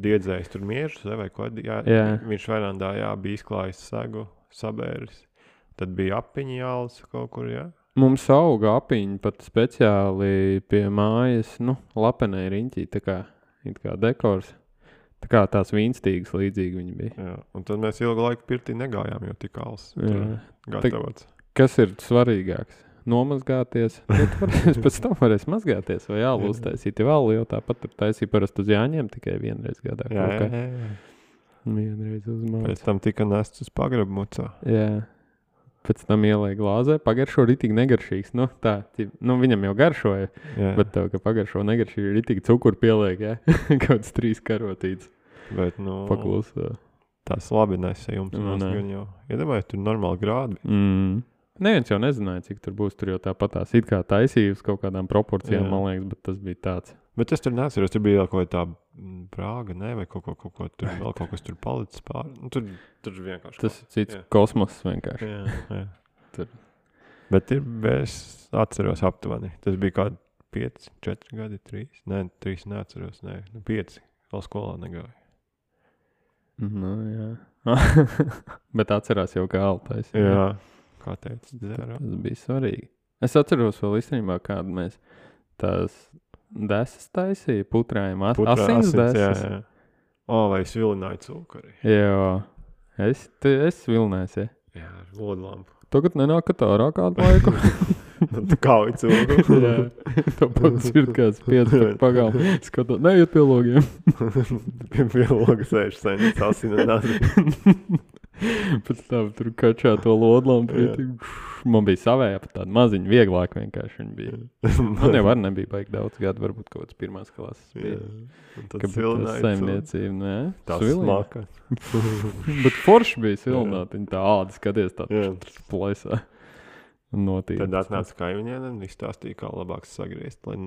Speaker 2: Diedzējis tur miežus, vai ko? Jā,
Speaker 1: jā.
Speaker 2: Viņš verandā, jā, bija izklājis segu, sabēris. Tad bija apiņi jālis kaut kur, jā.
Speaker 1: Mums auga apiņi pat speciāli pie mājas, nu, lapenē riņķī, tā kā, it kā dekors. Tā kā tās vīnstīgas līdzīgi viņi bija.
Speaker 2: Jā, un tad mēs ilgu laiku pirtī negājām, jo tik als gatavots.
Speaker 1: Kas ir svarīgāks? Nomazgāties, bet varēs pēc tam varēs mazgāties vai jālu uztaisīt. Ja vēl jau tāpat tur taisīja parasti uz jāņem tikai vienreiz gadā.
Speaker 2: Jā, jā, jā, jā.
Speaker 1: Vienreiz uzmāc.
Speaker 2: Pēc tam tika nests uz pagrabu mucā.
Speaker 1: Jā. Pēc tam ielēja glāzē, pagaršo ritīgi negaršīgs. Nu, tā, nu, viņam jau garšoja, jā. Bet tev, ka pagaršo negaršīgi, ritīgi cukuru pieliek, jā. Kāds trīs karotītes.
Speaker 2: Bet, nu,
Speaker 1: paklusā.
Speaker 2: Tas labi nesē jums.
Speaker 1: Nu,
Speaker 2: gan jau. Iedomājies, tur normāli grādi.
Speaker 1: Mm. Neviens jau nezināja, cik tur būs. Tur jau tāpat tās it kā taisīja uz kaut kādām proporcijām, jā. Man liekas, bet tas bija tāds.
Speaker 2: Bet es tur neatceros, tur bija kaut kā tā Prāga, ne, vai kaut ko, kaut ko tur, vēl kaut kas tur palicis pār. Nu, tur, tur vienkārši.
Speaker 1: Tas ir cits jā. Kosmos vienkārši.
Speaker 2: Jā, jā.
Speaker 1: Tur.
Speaker 2: Bet ir, es atceros aptuveni. Tas bija kādi pieci, četri gadi, trīs. Nē, trīs neatceros, nē, nu, pieci. Vēl skolā negāju.
Speaker 1: Nu, jā. Bet atcerās jau kā altais.
Speaker 2: Jā. jā. Kā teica, dzērā.
Speaker 1: Tas bija svarīgi. Es atceros vēl īstenībā, kādu mēs tās desas taisīja, putrājām as,
Speaker 2: Putrā,
Speaker 1: asins
Speaker 2: asins,
Speaker 1: desas.
Speaker 2: Jā, jā. O, vai es vilināju cukuri.
Speaker 1: Jā, es, te, es vilnēs, ja.
Speaker 2: Jā, ar lodlampu.
Speaker 1: Tagad nenāk ārā kādu laiku.
Speaker 2: Tu kauj cukuru.
Speaker 1: Jā, tāpēc ir kāds piecpēc pagalm. Skatot, neiet pie logiem.
Speaker 2: Pie, pie loga sēž senis, asina nāzi.
Speaker 1: Pēc tam tur kačā to lodlampu. Man bija savējā pat tāda maziņa, vieglāk vienkārši viņa bija. Man jau var nebija baigi daudz gadu, varbūt kaut kāds pirmās klases bija.
Speaker 2: Un tad svilināja
Speaker 1: saimniecība, nē.
Speaker 2: Tā smaka.
Speaker 1: Bet forši bija svilināt, viņa tā āda skaties tā plaisā. Notīm.
Speaker 2: Tad atnāca kaimiņiem un izstāstīja, kā labāk sagriezt, lai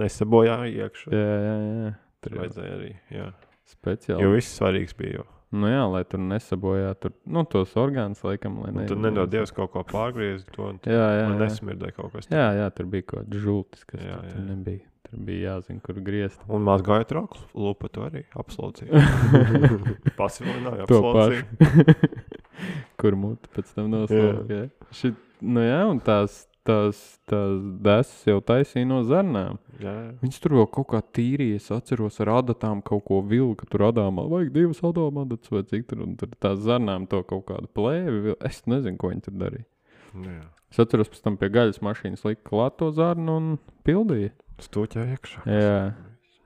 Speaker 2: nesabojā iekšā.
Speaker 1: Jā, jā, jā.
Speaker 2: Tur vajadzēja arī, jā.
Speaker 1: Speciāli.
Speaker 2: Jo viss svarīgs bija jau.
Speaker 1: Nu jā, lai tur nesabojā tur, nu, tos orgānus, laikam, lai ne...
Speaker 2: Un tur nedod Dievs kaut ko pārgriezi to, un tur
Speaker 1: jā, jā, jā.
Speaker 2: nesmirdēja kaut kas.
Speaker 1: Jā, jā, tur bija kaut kāds žultis, kas
Speaker 2: jā,
Speaker 1: tur,
Speaker 2: jā.
Speaker 1: tur nebija. Tur bija jāzina, kur griezt.
Speaker 2: Un mazgāja troklu, lupa to arī apslaucīja. Pasvilināja, apslaucīja.
Speaker 1: Kur muti pēc tam noslauka, jā. Šit, nu jā, un tās, tās, tās desas jau taisīja no zarnām.
Speaker 2: Jā.
Speaker 1: Viņas tur vēl kaut kā tīrīja, es atceros ar adatām kaut ko vilka, tur adāmā, vajag divas adām adatas vai cik tur, un tur tās zarnām to kaut kādu plēvi, es nezinu, ko viņi tur darīja.
Speaker 2: Jā.
Speaker 1: Es atceros pēc tam pie gaļas mašīnas lika klāt to zarnu un pildīja.
Speaker 2: Stūķā iekšā.
Speaker 1: Jā.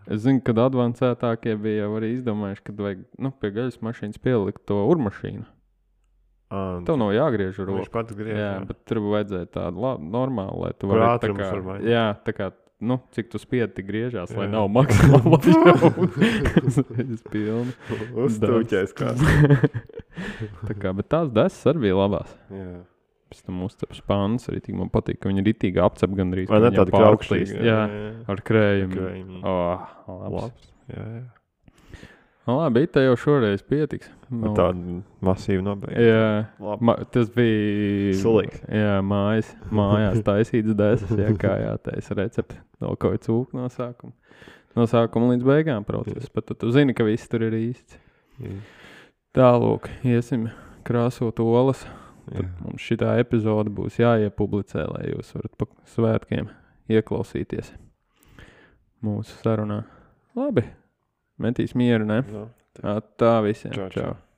Speaker 1: Es zinu, kad advancētākie bija jau arī izdomājuši, kad vajag, nu, pie gaļas mašīnas pielikt to urmašīnu.
Speaker 2: Un
Speaker 1: tev nav jāgriež ar roku.
Speaker 2: Viņš pats griež.
Speaker 1: Jā,
Speaker 2: jā.
Speaker 1: bet tur vajadzēja tādu labi, normāli, lai tu varētu tā kā,
Speaker 2: var
Speaker 1: jā, tā kā, nu, cik tu spiedi, tik griežās, jā. Lai nav maksimāli es pilni.
Speaker 2: Uzstūķēs kā.
Speaker 1: Tā kā, bet tās desas arī bija labās.
Speaker 2: Jā.
Speaker 1: Pēc tam uzcep spānas arī, tik man patīk, ka viņi ritīgi apcep gandrīz.
Speaker 2: Vai ne tāda kraukšīga?
Speaker 1: Jā, jā, ar krējumu.
Speaker 2: Krējumu.
Speaker 1: Oh, labs.
Speaker 2: labs. Jā, jā.
Speaker 1: No, labi, te jau šoreiz pietiks.
Speaker 2: No. Tāda masīva nobeigta.
Speaker 1: Jā, ma, tas bija...
Speaker 2: Sulīgs.
Speaker 1: Jā, mājas, mājās taisītas desas, jā, kā jātaisa recepti. Vēl kaut cūku no sākuma. No sākuma līdz beigām process, bet tu, tu zini, ka viss tur ir īsts. Jā. Tālūk, iesim krāsot olas. Tad mums šitā epizode būs jāiepublicē, lai jūs varat pa svētkiem ieklausīties. mūsu sarunā. Labi. Metīs mieru, ne?
Speaker 2: No,
Speaker 1: Tā visiem.
Speaker 2: Čau, čau.
Speaker 1: Čau.